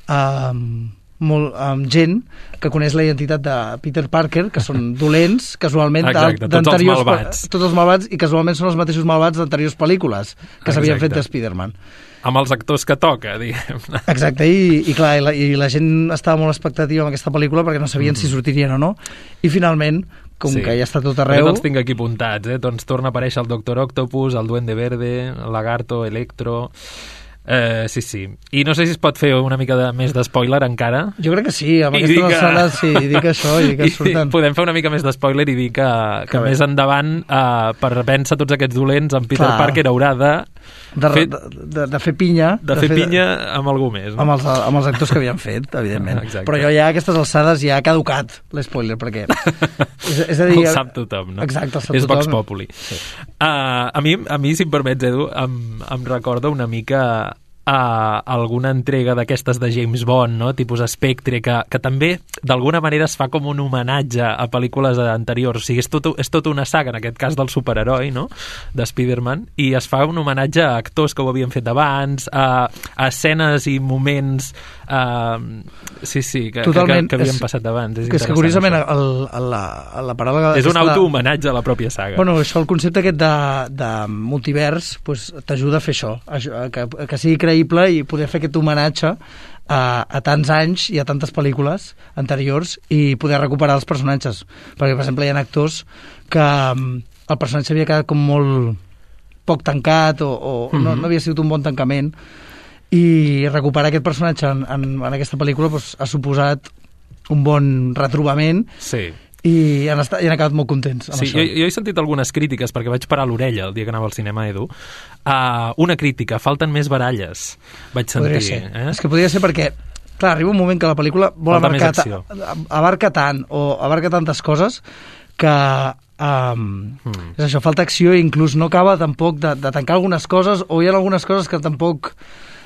amb gent que coneix la identitat de Peter Parker, que són dolents, casualment, d'anteriors, tots els malvats, i casualment són els mateixos malvats d'anteriors pel·lícules que s'havien fet de Spider-Man. Amb els actors que toca, diguem. Exacte, i clar, i la gent estava molt expectativa amb aquesta pel·lícula perquè no sabien si sortirien o no, i finalment, com que ja està tot arreu... Jo els tinc aquí apuntats, doncs torna a aparèixer el Doctor Octopus, el Duende Verde, el Lagarto, Electro... Sí. I no sé si es pot fer una mica més de spoiler encara. Jo crec que sí, amb aquestes alçades sí, dic això i que surten. Podem fer una mica més de spoiler i dir que més endavant, per vèncer tots aquests dolents, en Peter Parker haurà de fer pinya. De fer pinya amb algú més. No? Amb els actors que havien fet, evidentment. Exacte. Però jo ja a aquestes alçades ja ha caducat l'espoiler, perquè... és a dir, el sap tothom, no? Exacte, el sap és tothom. Vox Populi. Sí. A mi, si em permets, Edu, em recorda una mica alguna entrega d'aquestes de James Bond, no? Tipus Spectre, que també d'alguna manera es fa com un homenatge a pel·lícules anteriors. O sigui, és tot una saga, en aquest cas del superheroi, no? De Spider-Man, i es fa un homenatge a actors que ho havien fet abans, a escenes i moments que havien passat abans. És que curiosament la paraula... És un auto-homenatge a la pròpia saga. Bueno, això, el concepte aquest de multivers t'ajuda a fer això, que sigui creïble i poder fer aquest homenatge a tants anys i a tantes pel·lícules anteriors i poder recuperar els personatges. Perquè, per exemple, hi ha actors que el personatge havia quedat com molt poc tancat o no havia sigut un bon tancament, i recuperar aquest personatge en aquesta pel·lícula ha suposat un bon retrobament. Sí. I han acabat molt contents amb això. Jo he sentit algunes crítiques, perquè vaig parar l'orella el dia que anava al cinema, Edu. Una crítica, falten més baralles, vaig sentir. Podria ser. És que podria ser perquè, clar, arriba un moment que la pel·lícula vol abarca tant o abarca tantes coses que és això, falta acció i inclús no acaba tampoc de tancar algunes coses, o hi ha algunes coses que tampoc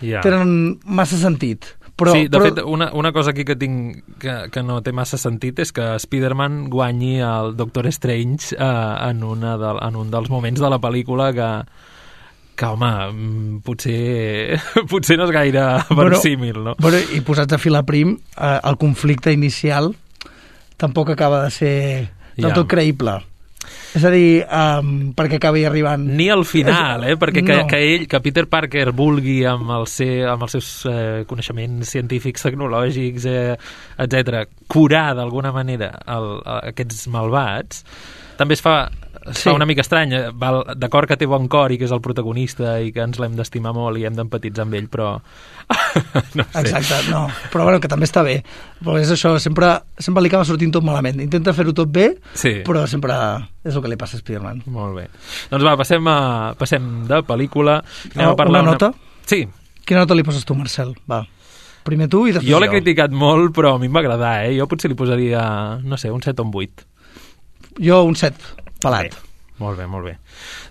tenen massa sentit. De fet, una cosa aquí que tinc que no té massa sentit és que Spider-Man guanyi el Doctor Strange en un dels moments de la pel·lícula que home, potser no és gaire versímil, no? I posats a filar prim, el conflicte inicial tampoc acaba de ser del tot creïble. És a dir, perquè acabi arribant... Ni al final, perquè que Peter Parker vulgui amb els seus coneixements científics, tecnològics, etc., curar d'alguna manera aquests malvats, també es fa una mica estrany. D'acord que té bon cor i que és el protagonista i que ens l'hem d'estimar molt i hem d'empatitzar amb ell, però... no sé. Exacte, no. Però bueno, que també està bé. Però és això, sempre li acaba sortint tot malament. Intenta fer-ho tot bé, però sempre és el que li passa a Spider-Man. Molt bé. Doncs va, passem de pel·lícula. Anem a parlar una nota? Sí. Quina nota li poses tu, Marcel? Va. Primer tu i després jo. Jo l'he criticat molt, però a mi em va agradar, Jo potser li posaria, no sé, un 7 o un 8. Jo un 7. Pelat. Molt bé.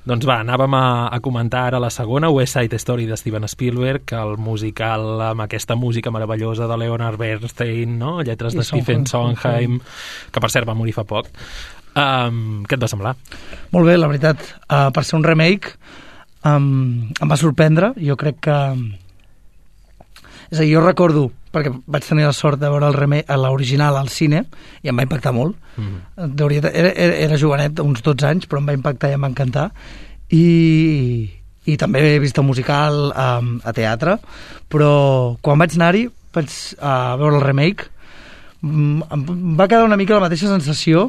Doncs va, anàvem a comentar ara la segona, West Side Story de Steven Spielberg, el musical amb aquesta música meravellosa de Leonard Bernstein, no? Lletres de Stephen Sondheim, que per cert va morir fa poc. Què et va semblar? Molt bé, la veritat. Per ser un remake em va sorprendre. Jo crec que... És a dir, jo recordo, perquè vaig tenir la sort de veure l'original al cine i em va impactar molt. Era jovenet, uns 12 anys, però em va impactar i em va encantar. I també he vist el musical a teatre, però quan vaig anar-hi, vaig veure el remake, em va quedar una mica la mateixa sensació,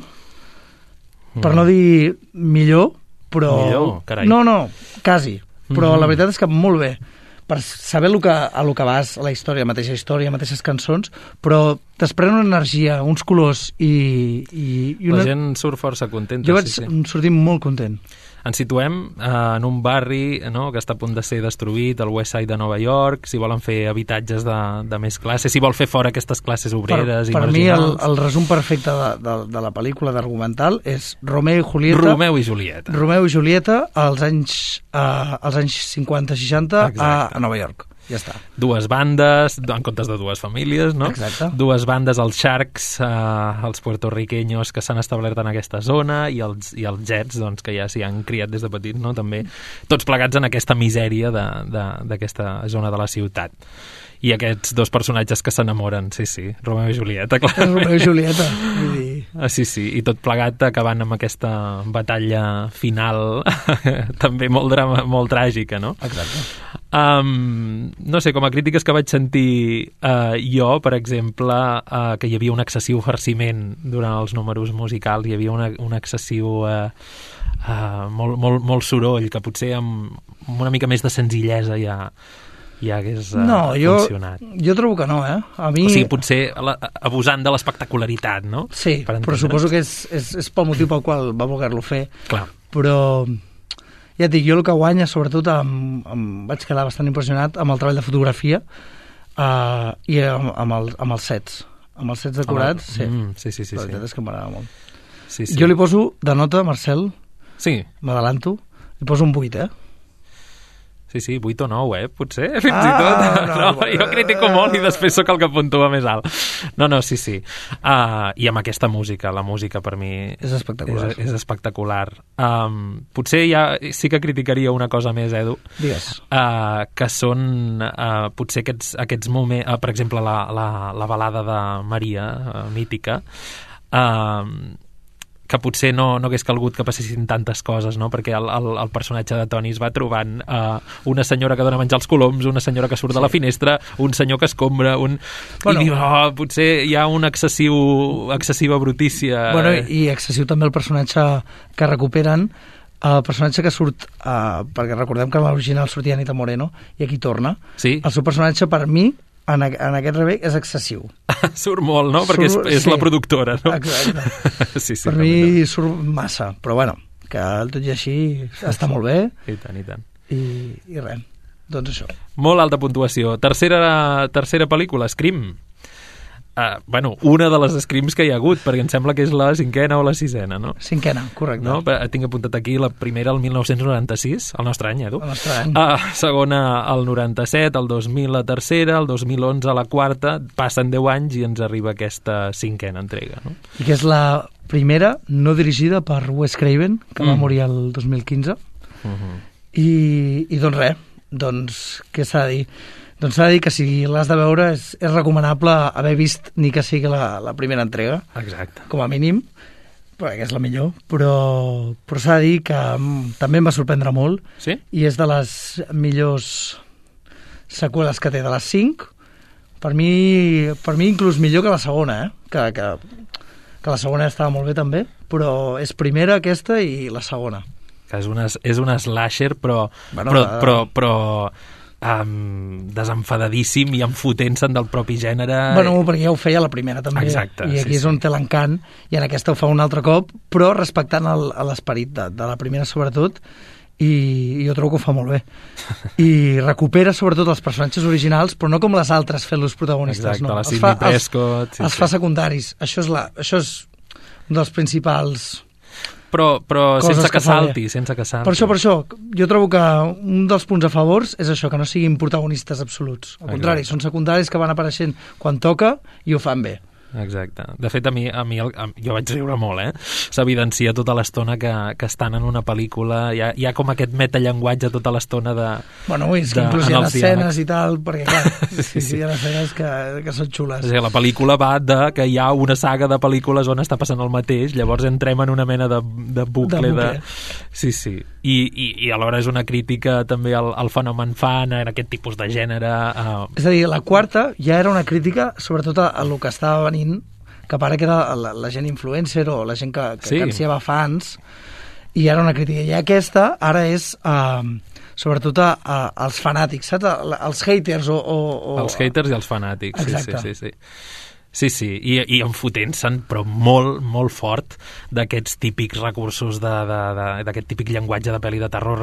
per no dir millor, però... Millor? Carai. No, quasi. Però la veritat és que molt bé. Per saber a lo que vas, a la història, mateixes cançons, però desprèn una energia, uns colors i La gent surt força contenta. Jo vaig sortir molt content. Ens situem en un barri, no?, que està a punt de ser destruït, el West Side de Nova York, si volen fer habitatges de més classes, si vol fer fora aquestes classes obreres i marginals. Per mi el resum perfecte de la pel·lícula d'argumental és Romeo i Julieta als anys 50-60 a Nova York. Ja està. Dues bandes, en comptes de dues famílies, no? Exacte. Dues bandes, els Sharks, els puertorriqueños que s'han establert en aquesta zona i els Jets, doncs, que ja s'hi han criat des de petits, no? També tots plegats en aquesta misèria d'aquesta zona de la ciutat. I aquests dos personatges que s'enamoren, sí, Romeo i Julieta, clar. Romeo i Julieta, vull dir... Sí, i tot plegat acabant amb aquesta batalla final també molt tràgica, no? Exacte. No sé, com a crítiques que vaig sentir jo, per exemple, que hi havia un excessiu farciment durant els números musicals, hi havia un excessiu molt soroll, que potser amb una mica més de senzillesa ja hagués funcionat. Jo trobo que no, A mi... O sigui, potser abusant de l'espectacularitat, no? Sí, però suposo que és pel motiu pel qual va voler-lo fer. Clar. Però, ja et dic, jo el que guanya, sobretot, vaig quedar bastant impressionat amb el treball de fotografia i amb els sets. Amb els sets decorats, sí. La veritat és que m'agrada molt. Sí. Jo li poso de nota, Marcel, m'adelanto, li poso un 8, Sí, 8 o 9, potser, fins i tot. No, jo critico molt i després sóc el que puntua més alt. No, sí. I amb aquesta música, la música per mi és espectacular. És espectacular. Potser ja sí que criticaria una cosa més, Edu. Digues. Que són potser aquests moments, per exemple, la balada de Maria, mítica, que potser no hagués calgut que passessin tantes coses, no? Perquè el personatge de Tony es va trobant una senyora que dona menjar als coloms, una senyora que surt de la finestra, un senyor que escombra, i diu, potser hi ha una excessiva brutícia. I excessiu també el personatge que recuperen, el personatge que surt, perquè recordem que en l'original sortia Anita Moreno, i aquí torna. Sí. El seu personatge, per mi, en aquest remake és excessiu. Surt molt, no? Perquè és la productora, no? Exacte. Sí, per mi surt massa, però bueno, que tot i així està molt bé. I tant. I res, doncs això. Molt alta puntuació. Tercera pel·lícula, Scream. Una de les Screams que hi ha hagut, perquè em sembla que és la 5ª o la 6ª, no? 5ª, correcte. No? Tinc apuntat aquí la primera el 1996, el nostre any, Edu. El nostre any. Segona el 97, el 2000 la tercera, el 2011 la quarta, passen 10 anys i ens arriba aquesta 5ª entrega, no? I que és la primera no dirigida per Wes Craven, que va morir el 2015. I doncs res, què s'ha de dir? Doncs s'ha de dir que si l'has de veure és recomanable haver vist ni que sigui la primera entrega. Exacte. Com a mínim. perquè és la millor, però s'ha de dir que també em va sorprendre molt. Sí? I és de les millors seqüeles que té, de les 5. Per mi inclús millor que la segona, que la segona estava molt bé també, però és primera aquesta i la segona. Que és una slasher, però desenfadadíssim i enfotent-se'n del propi gènere. Bueno, perquè ja ho feia la primera també. Exacte, i aquí és on té l'encant, i en aquesta ho fa un altre cop, però respectant l'esperit de la primera sobretot, i jo trobo que ho fa molt bé. I recupera sobretot els personatges originals, però no com les altres fent-los protagonistes. Exacte, no. la Sidney Prescott. Els fa secundaris. Això és un dels principals... Però sense que salti. Per això, jo trobo que un dels punts a favors és això, que no siguin protagonistes absoluts. Al contrari, són secundaris que van apareixent quan toca i ho fan bé. Exacte. De fet, a mi jo vaig riure molt, S'evidencia tota l'estona que estan en una pel·lícula. Hi ha com aquest metallenguatge tota l'estona de... Bueno, és que inclús hi ha escenes i tal, perquè clar, sí, hi ha escenes que són xules. O sigui, la pel·lícula va de que hi ha una saga de pel·lícules on està passant el mateix, llavors entrem en una mena de bucle. Sí. I alhora és una crítica també al fenomen fan, en aquest tipus de gènere. És a dir, la quarta ja era una crítica sobretot a lo que estava venint cap ara, que era la gent influencer o la gent que ansiava fans, i era una crítica. I aquesta ara és sobretot als fanàtics, saps? Els haters Els haters i els fanàtics. Exacte. Sí, i enfotent-se'n, però molt, molt fort, d'aquests típics recursos, d'aquest típic llenguatge de pel·li de terror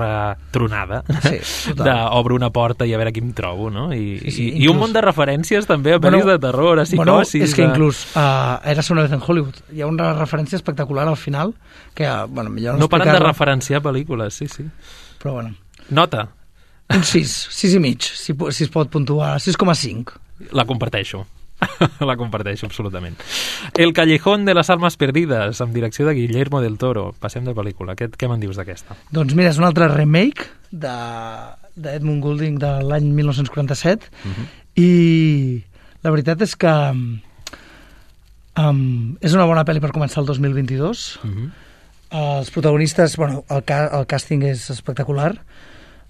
tronada, d'obre una porta i a veure qui em trobo, no? I un munt de referències també a pel·lis de terror, a psicosis... Bueno, és que inclús Érase una vez en Hollywood. Hi ha una referència espectacular al final, que, bueno, millor no paren de referenciar pel·lícules, sí. Però, bueno... Nota. Un 6 i mig, si es pot puntuar, 6,5. La comparteixo. La comparteixo, absolutament. El Callejón de las Almas Perdidas, amb direcció de Guillermo del Toro. Passem de pel·lícula. Què me'n dius d'aquesta? Doncs mira, és un altre remake d'Edmund Goulding de l'any 1947, i la veritat és que és una bona pel·li per començar el 2022. Els protagonistes, bueno, el càsting és espectacular.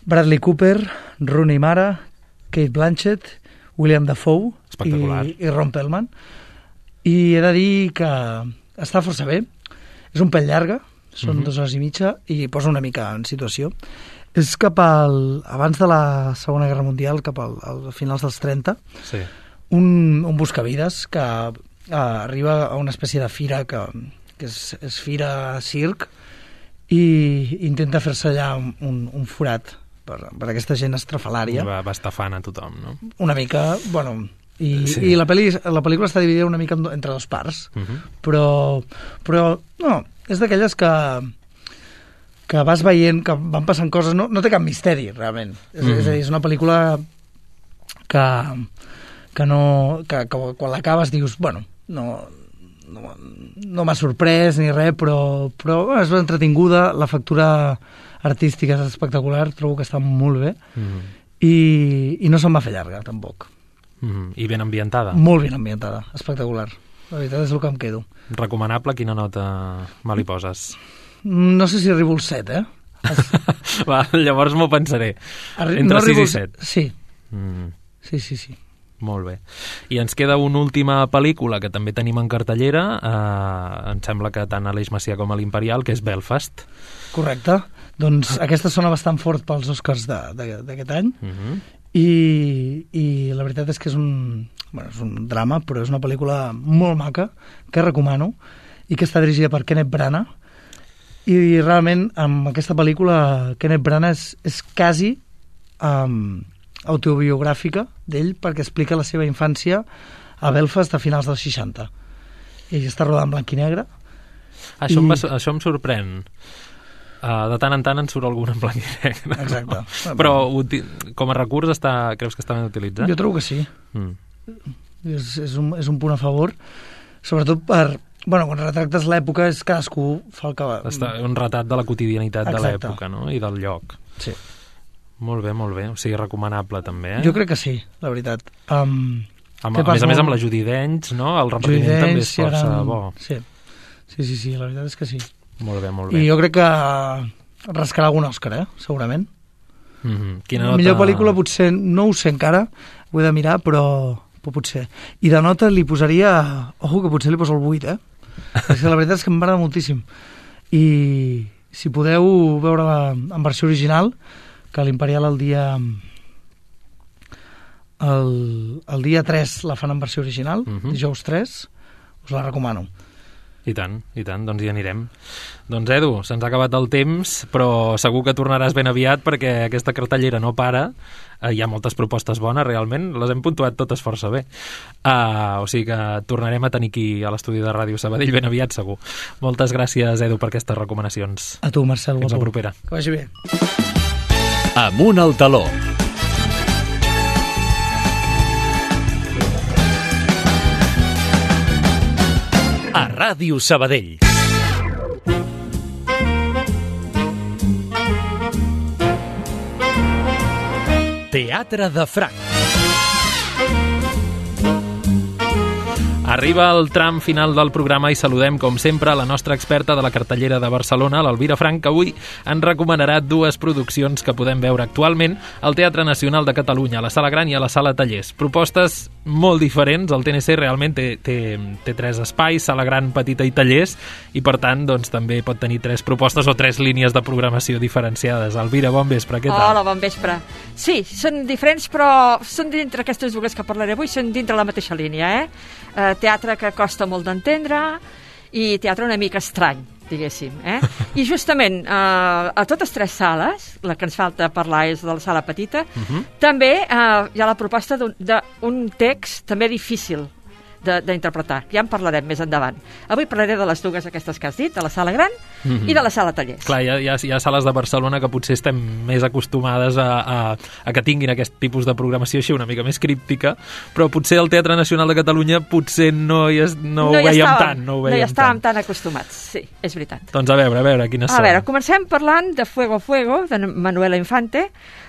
Bradley Cooper, Rooney Mara, Cate Blanchett, William Dafoe i Ron Perlman. I he de dir que està força bé. És un pèl llarga, són 2 hores i mitja, i posa una mica en situació. És abans de la Segona Guerra Mundial, cap als finals dels 30, un buscavides que arriba a una espècie de fira que és fira circ, i intenta fer-se allà un forat per aquesta gent estrafalària. Va estafant a tothom, no? Una mica, bueno... I la pel·lícula està dividida una mica entre 2 parts, però no, és d'aquelles que vas veient, que van passant coses, no té cap misteri, realment. És a dir, és una pel·lícula que quan l'acabes dius, bueno, no m'ha sorprès ni res, però és entretinguda, la factura artística és espectacular, trobo que està molt bé, i no se'm va fer llarga, tampoc. I ben ambientada? Molt ben ambientada, espectacular. La veritat és el que em quedo. Recomanable, quina nota me li poses? No sé si arribo al 7, Va, llavors m'ho pensaré. Entre 6 i 7. Sí. Sí. Molt bé. I ens queda una última pel·lícula que també tenim en cartellera, em sembla que tant a l'Eix Macià com a l'Imperial, que és Belfast. Correcte. Doncs aquesta sona bastant fort pels Oscars d'aquest any, i la veritat és que és un drama, però és una pel·lícula molt maca, que recomano, i que està dirigida per Kenneth Branagh, i realment amb aquesta pel·lícula Kenneth Branagh és quasi autobiogràfica d'ell, perquè explica la seva infància a Belfast a finals dels 60. I està rodada en blanc i negre. Això em sorprèn. De tant en tant en surt algun en blanc i negre. Exacte. Però com a recurs creus que està ben utilitzat? Jo trobo que sí. És un punt a favor, sobretot quan retractes l'època, és cadascú fa el que va. Un retrat de la quotidianitat de l'època, no? I del lloc. Sí. Molt bé. O sigui, recomanable també, Jo crec que sí, la veritat. A més amb la Judi Dench, no? El repartiment també és força bo. Sí, la veritat és que sí. Molt bé, molt bé. I jo crec que rascarà algun Òscar, segurament. Quina la nota... millor pel·lícula potser, no ho sé encara, ho he de mirar, però potser. I de nota li posaria... Ojo, que potser li poso el 8, Perquè la veritat és que m'agrada moltíssim. I si podeu veure-la en versió original, que l'Imperial el dia 3 la fan en versió original, dijous 3, us la recomano. I tant, doncs hi anirem. Doncs Edu, se'ns ha acabat el temps, però segur que tornaràs ben aviat perquè aquesta cartellera no para. Hi ha moltes propostes bones, realment, les hem puntuat totes força bé. O sigui que tornarem a tenir aquí a l'estudi de Ràdio Sabadell ben aviat, segur. Moltes gràcies, Edu, per aquestes recomanacions. A tu, Marcel. Fins la propera. Que vagi bé. Amunt al taló. A Ràdio Sabadell. Teatre de Franc. Arriba el tram final del programa i saludem, com sempre, la nostra experta de la cartellera de Barcelona, l'Elvira Frank, que avui ens recomanarà 2 produccions que podem veure actualment al Teatre Nacional de Catalunya, a la Sala Gran i a la Sala Tallers. Propostes molt diferents. El TNC realment té 3 espais, Sala Gran, Petita i Tallers, i per tant doncs, també pot tenir 3 propostes o 3 línies de programació diferenciades. Elvira, bon vespre, què tal? Hola, bon vespre. Sí, són diferents, però són dintre aquestes 2 que parlaré avui, són dintre la mateixa línia, teatre que costa molt d'entendre i teatre una mica estrany, diguéssim. I justament a totes 3 sales, la que ens falta parlar és de la sala petita, també hi ha la proposta d'un text també difícil d'interpretar. Ja en parlarem més endavant. Avui parlaré de les 2 aquestes que has dit, de la sala gran i de la sala tallers. Clar, hi ha sales de Barcelona que potser estem més acostumades a que tinguin aquest tipus de programació així una mica més críptica, però potser al Teatre Nacional de Catalunya potser no ho veiem tant. No hi estàvem tan acostumats, sí, és veritat. Doncs a veure, quines són? A veure, comencem parlant de Fuego Fuego, de Manuela Infante,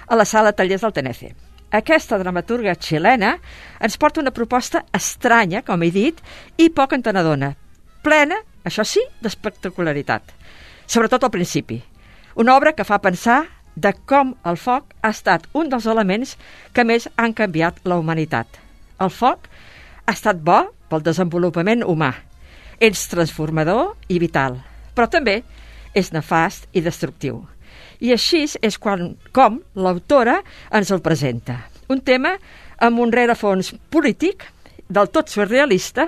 a la sala Tallers del TNC. Aquesta dramaturga xilena ens porta una proposta estranya, com he dit, i poc entenedora, plena, això sí, d'espectacularitat. Sobretot al principi. Una obra que fa pensar de com el foc ha estat un dels elements que més han canviat la humanitat. El foc ha estat bo pel desenvolupament humà. És transformador i vital, però també és nefast i destructiu. I així és com l'autora ens el presenta. Un tema amb un rerefons polític, del tot surrealista,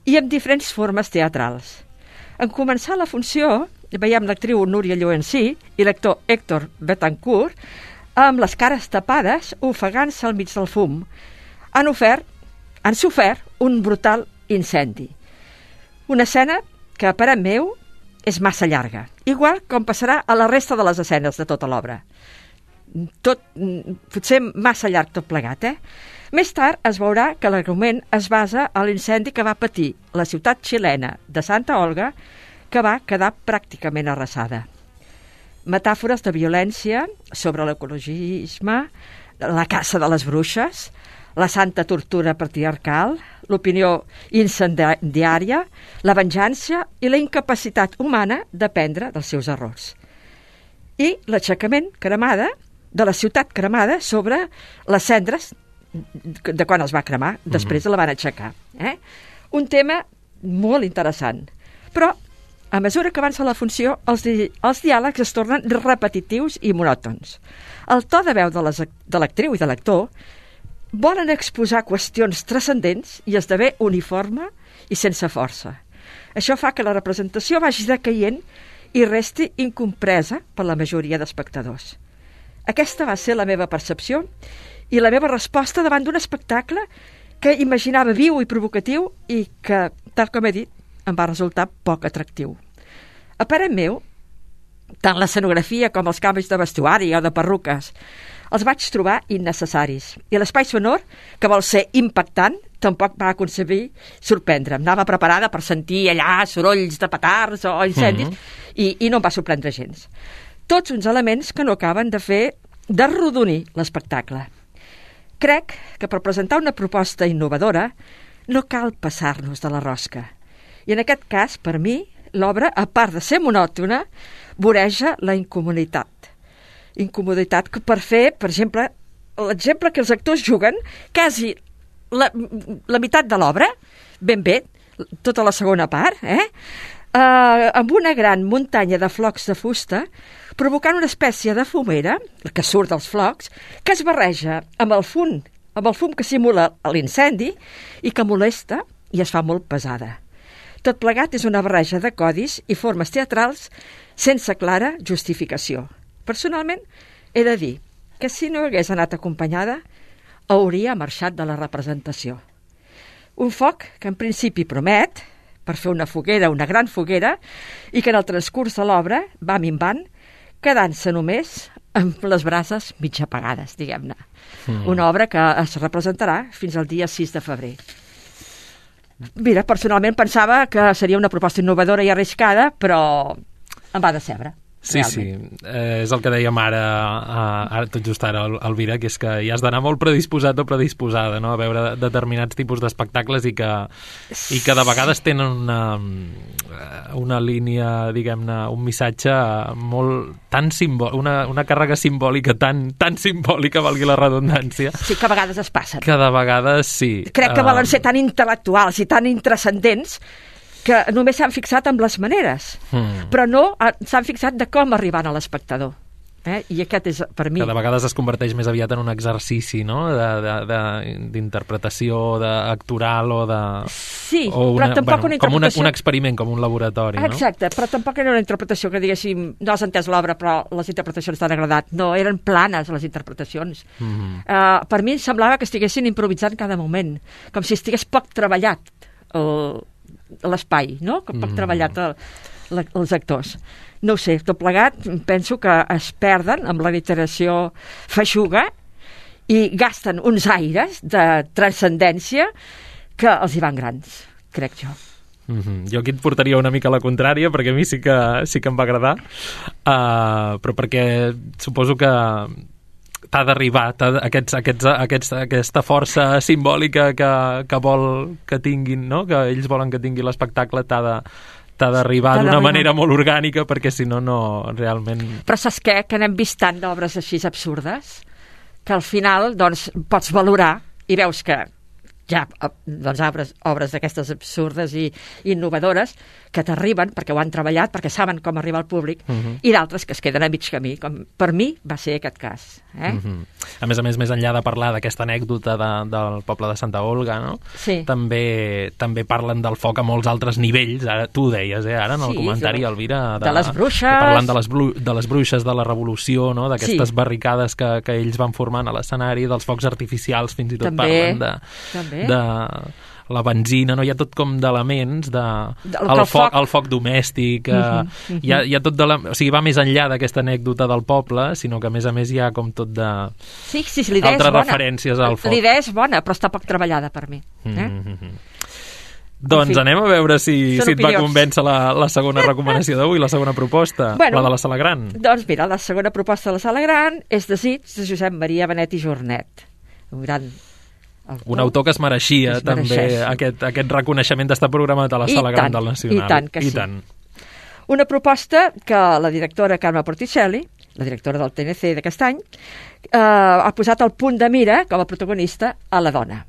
i amb diferents formes teatrals. En començar la funció, veiem l'actriu Núria Llorencí i l'actor Héctor Betancourt amb les cares tapades, ofegant-se al mig del fum. Han sofert un brutal incendi. Una escena que, a parer meu, és massa llarga, igual com passarà a la resta de les escenes de tota l'obra. Potser massa llarg tot plegat, Més tard es veurà que l'argument es basa a l'incendi que va patir la ciutat xilena de Santa Olga, que va quedar pràcticament arrasada. Metàfores de violència sobre l'ecologisme, la caça de les bruixes, la santa tortura patriarcal, l'opinió incendiària, la venjança i la incapacitat humana d'aprendre dels seus errors. I l'aixecament de la ciutat cremada sobre les cendres de quan es va cremar, després la van aixecar. Un tema molt interessant. Però, a mesura que avança la funció, els diàlegs es tornen repetitius i monòtons. El to de veu de l'actriu i de l'actor volen exposar qüestions transcendents i esdevé uniforme i sense força. Això fa que la representació vagi decaient i resti incompresa per la majoria d'espectadors. Aquesta va ser la meva percepció i la meva resposta davant d'un espectacle que imaginava viu i provocatiu i que, tal com he dit, em va resultar poc atractiu. A parer meu, tant l'escenografia com els canvis de vestuari o de perruques els vaig trobar innecessaris. I l'espai sonor, que vol ser impactant, tampoc va aconseguir sorprendre'm. Anava preparada per sentir allà sorolls de petards o incendis i no em va sorprendre gens. Tots uns elements que no acaben de rodonir l'espectacle. Crec que per presentar una proposta innovadora no cal passar-nos de la rosca. I en aquest cas, per mi, l'obra, a part de ser monòtona, voreja la incomoditat. Incomoditat que per fer, per exemple, l'exemple que els actors juguen quasi la meitat de l'obra, ben bé, tota la segona part, amb una gran muntanya de flocs de fusta, provocant una espècie de fumera, que surt dels flocs, que es barreja amb el fum que simula l'incendi i que molesta i es fa molt pesada. Tot plegat és una barreja de codis i formes teatrals sense clara justificació. Personalment, he de dir que si no hagués anat acompanyada, hauria marxat de la representació. Un foc que en principi promet, per fer una foguera, una gran foguera, i que en el transcurs de l'obra va minvant, quedant-se només amb les brases mig apagades, diguem-ne. Una obra que es representarà fins al dia 6 de febrer. Mira, personalment pensava que seria una proposta innovadora i arriscada, però em va decebre. Sí, realment. Sí, és el que dèiem ara tot just ara, Elvira, que és que hi has d'anar molt predisposat o predisposada, no?, a veure determinats tipus d'espectacles i que de vegades tenen una línia, diguem-ne, un missatge molt tan una càrrega simbòlica tan simbòlica, valgui la redundància. Sí, que a vegades es passen. Que de vegades sí. Crec que volen ser tan intel·lectuals i tan intrascendents que només s'han fixat en les maneres, però no s'han fixat de com arribar a l'espectador. I aquest és, per mi... Que de vegades es converteix més aviat en un exercici, no?, d'interpretació actoral o de... Sí, però tampoc una interpretació... Com un experiment, com un laboratori, no? Exacte, però tampoc era una interpretació que diguéssim, no has entès l'obra, però les interpretacions t'han agradat. No, eren planes, les interpretacions. Per mi semblava que estiguessin improvisant cada moment, com si estigués poc treballat l'espai, no?, que poc treballat els actors. No ho sé, tot plegat penso que es perden amb la literació feixuga i gasten uns aires de transcendència que els hi van grans, crec jo. Jo aquí et portaria una mica a la contrària, perquè a mi sí que em va agradar, però perquè suposo que t'ha d'arribar aquesta força simbòlica que vol que tinguin, no?, que ells volen que tingui l'espectacle, t'ha d'arribar d'una manera molt orgànica, perquè si no, realment... Però saps què? Que n'hem vist tant d'obres així absurdes que al final, doncs, pots valorar i veus que hi ha obres d'aquestes absurdes i innovadores que t'arriben perquè ho han treballat, perquè saben com arribar al públic, i d'altres que es queden a mig camí, com per mi va ser aquest cas. A més, més enllà de parlar d'aquesta anècdota del poble de Santa Olga, no? Sí. També parlen del foc a molts altres nivells, ara tu ho deies, ara en el comentari, Elvira, de les bruixes, parlant de les bruixes, de la revolució, no?, d'aquestes barricades que ells van formant a l'escenari, dels focs artificials, fins i tot parlen de la benzina, no? Hi ha tot com d'elements el foc domèstic, hi ha tot o sigui, va més enllà d'aquesta anècdota del poble, sinó que a més hi ha com tot de altres referències al foc. L'idea és bona, però està poc treballada per mi. Doncs anem a veure si et va convèncer la segona recomanació d'avui, la segona proposta, la de la Sala Gran. Doncs mira, la segona proposta de la Sala Gran és Desig, de Josep Maria Benet i Jornet, un gran un autor que es mereixia també aquest reconeixement d'estar programat a la Sala Gran del Nacional. I tant que sí. Una proposta que la directora Carme Porticelli, la directora del TNC d'aquest any, ha posat al punt de mira com a protagonista a la dona.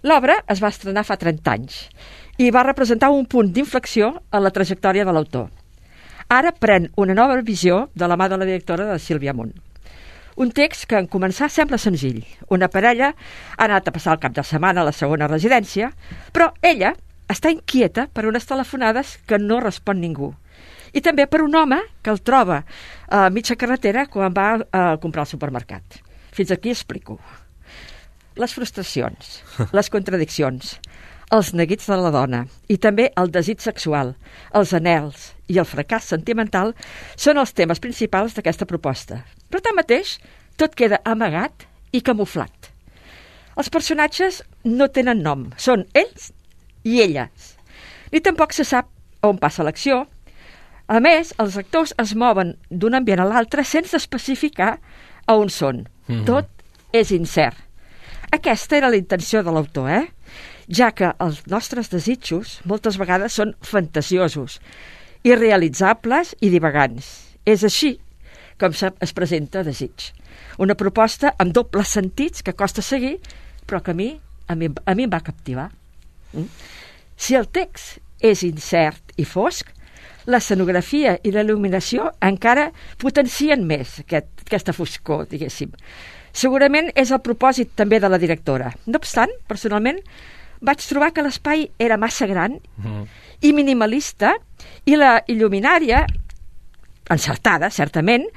L'obra es va estrenar fa 30 anys i va representar un punt d'inflexió en la trajectòria de l'autor. Ara pren una nova visió de la mà de la directora de Sílvia Munt. Un text que en començar sembla senzill. Una parella ha anat a passar el cap de setmana a la segona residència, però ella està inquieta per unes telefonades que no respon ningú. I també per un home que el troba a mitja carretera quan va a comprar al supermercat. Fins aquí explico. Les frustracions, les contradiccions, els neguits de la dona i també el desig sexual, els anhels i el fracàs sentimental són els temes principals d'aquesta proposta. Però tanmateix, tot queda amagat i camuflat. Els personatges no tenen nom, són ells i elles. Ni tampoc se sap on passa l'acció. A més, els actors es mouen d'un ambient a l'altre sense especificar a on són. Tot és incert. Aquesta era la intenció de l'autor, ja que els nostres desitjos moltes vegades són fantasiosos irrealitzables i divagants. És així com es presenta Desig. Una proposta amb dobles sentits que costa seguir, però que a mi em va captivar. Si el text és incert i fosc, l'escenografia i la il·luminació encara potencien més aquesta foscor, diguéssim. Segurament és el propòsit també de la directora. No obstant, personalment, vaig trobar que l'espai era massa gran i minimalista i la il·luminària, encertada, certament,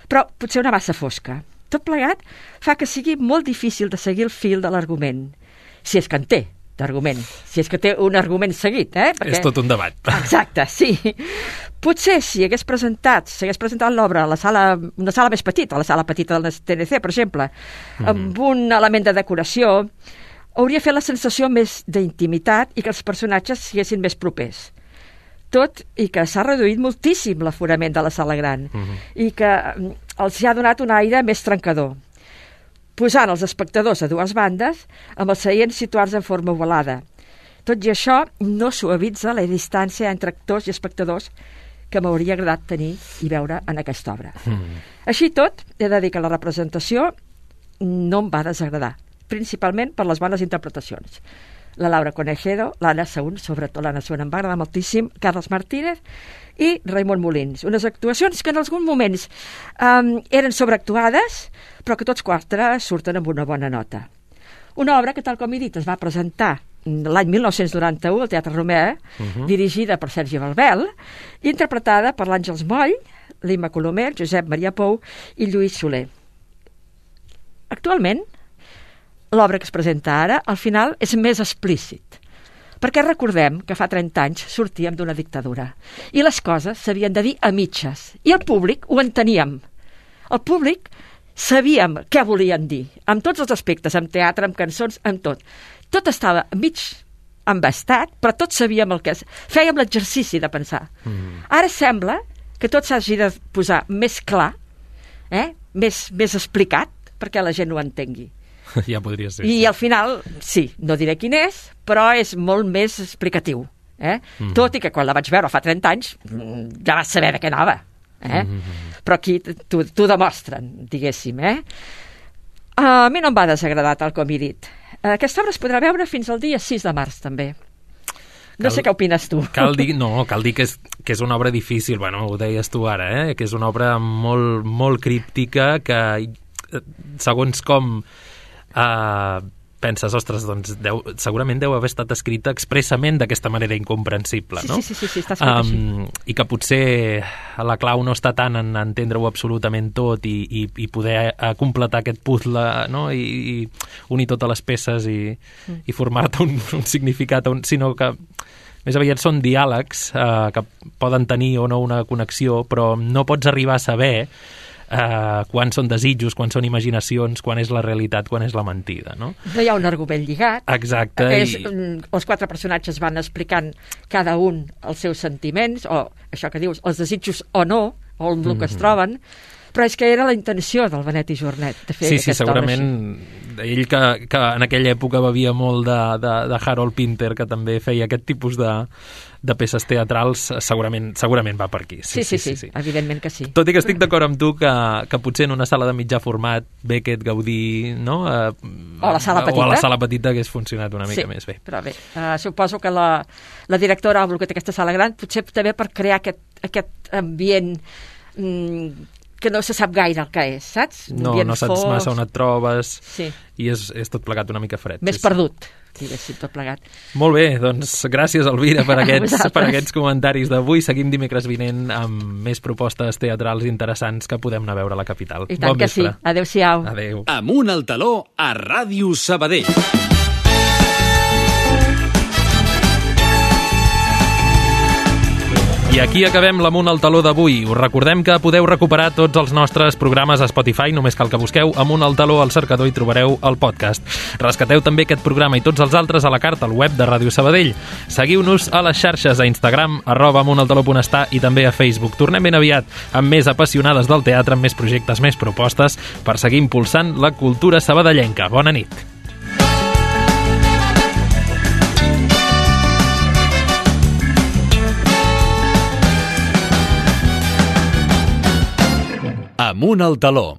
però potser una massa fosca. Tot plegat fa que sigui molt difícil de seguir el fil de l'argument, si és que en té d'argument, si és que té un argument seguit, Perquè... És tot un debat. Exacte, sí. Potser si s'hagués presentat l'obra a una sala més petita, a la sala petita del TNC, per exemple, amb un element de decoració, hauria fet la sensació més d'intimitat i que els personatges siguessin més propers. Tot i que s'ha reduït moltíssim l'aforament de la sala gran i que els ha donat un aire més trencador, posant els espectadors a dues bandes amb els seients situats en forma ovalada. Tot i això, no suavitza la distància entre actors i espectadors que m'hauria agradat tenir i veure en aquesta obra. Així tot, he de dir que la representació no em va desagradar, principalment per les bones interpretacions. La Laura Conejero, l'Anna Saún, sobretot l'Anna Saún em va agradar moltíssim, Carles Martínez i Raimon Molins. Unes actuacions que en alguns moments eren sobreactuades, però que tots quatre surten amb una bona nota. Una obra que, tal com he dit, es va presentar l'any 1991 al Teatre Romea, dirigida per Sergi Balbel, i interpretada per l'Àngels Moll, l'Imma Colomer, Josep Maria Pou i Lluís Soler. Actualment, l'obra que es presenta ara, al final, és més explícit. Perquè recordem que fa 30 anys sortíem d'una dictadura i les coses s'havien de dir a mitges. I el públic ho enteníem. El públic sabíem què volien dir, amb tots els aspectes, amb teatre, amb cançons, amb tot. Tot estava mig embastat, però tots sabíem el que és. Fèiem l'exercici de pensar. Ara sembla que tot s'hagi de posar més clar, més explicat, perquè la gent ho entengui. Ja podria ser. I al final, sí, no diré quin és, però és molt més explicatiu. Tot i que quan la vaig veure fa 30 anys ja vas saber de què anava. Però aquí t'ho demostren, diguéssim. A mi no em va desagradar, tal com he dit. Aquesta obra es podrà veure fins al dia 6 de març, també. No sé què opines tu. Cal dir que és una obra difícil, bueno, ho deies tu ara, que és una obra molt, molt críptica, que segons com penses, ostres, doncs segurament deu haver estat escrita expressament d'aquesta manera incomprensible, no? Sí, està escrit així. I que potser la clau no està tant en entendre-ho absolutament tot i poder completar aquest puzzle, no? I unir totes les peces i formar-te un significat, sinó que més aviat són diàlegs que poden tenir o no una connexió, però no pots arribar a saber quan són desitjos, quan són imaginacions, quan és la realitat, quan és la mentida, no? No hi ha un argument lligat. Exacte. Els quatre personatges van explicant cada un els seus sentiments, o això que dius, els desitjos o no, o el que es troben, però és que era la intenció del Benet i Jornet de fer aquesta obra. Sí, segurament ell que en aquella època bevia molt de Harold Pinter, que també feia aquest tipus de peces teatrals, segurament va per aquí. Sí, evidentment que sí. Tot i que estic d'acord amb tu que potser en una sala de mitjà format Beckett, Gaudí, no? O a la sala petita hagués funcionat una mica més bé. Però bé, suposo que la directora ha volgut aquesta sala gran, potser també per crear aquest ambient que no se sap gaire el que és, saps? No saps massa on et trobes i és tot plegat una mica fred. Més perdut, diguéssim, tot plegat. Molt bé, doncs gràcies, Elvira, per aquests comentaris d'avui. Seguim dimecres vinent amb més propostes teatrals interessants que podem anar a veure a la capital. I tant que sí. Adéu-siau. Adéu. Amunt al taló a Ràdio Sabadell. I aquí acabem l'Amunt al taló d'avui. Us recordem que podeu recuperar tots els nostres programes a Spotify, només cal que busqueu Amunt al taló al cercador i trobareu el podcast. Rescateu també aquest programa i tots els altres a la carta al web de Ràdio Sabadell. Seguiu-nos a les xarxes, a Instagram, @amuntaltaló.està i també a Facebook. Tornem ben aviat amb més apassionades del teatre, amb més projectes, més propostes, per seguir impulsant la cultura sabadellenca. Bona nit. Amunt al taló.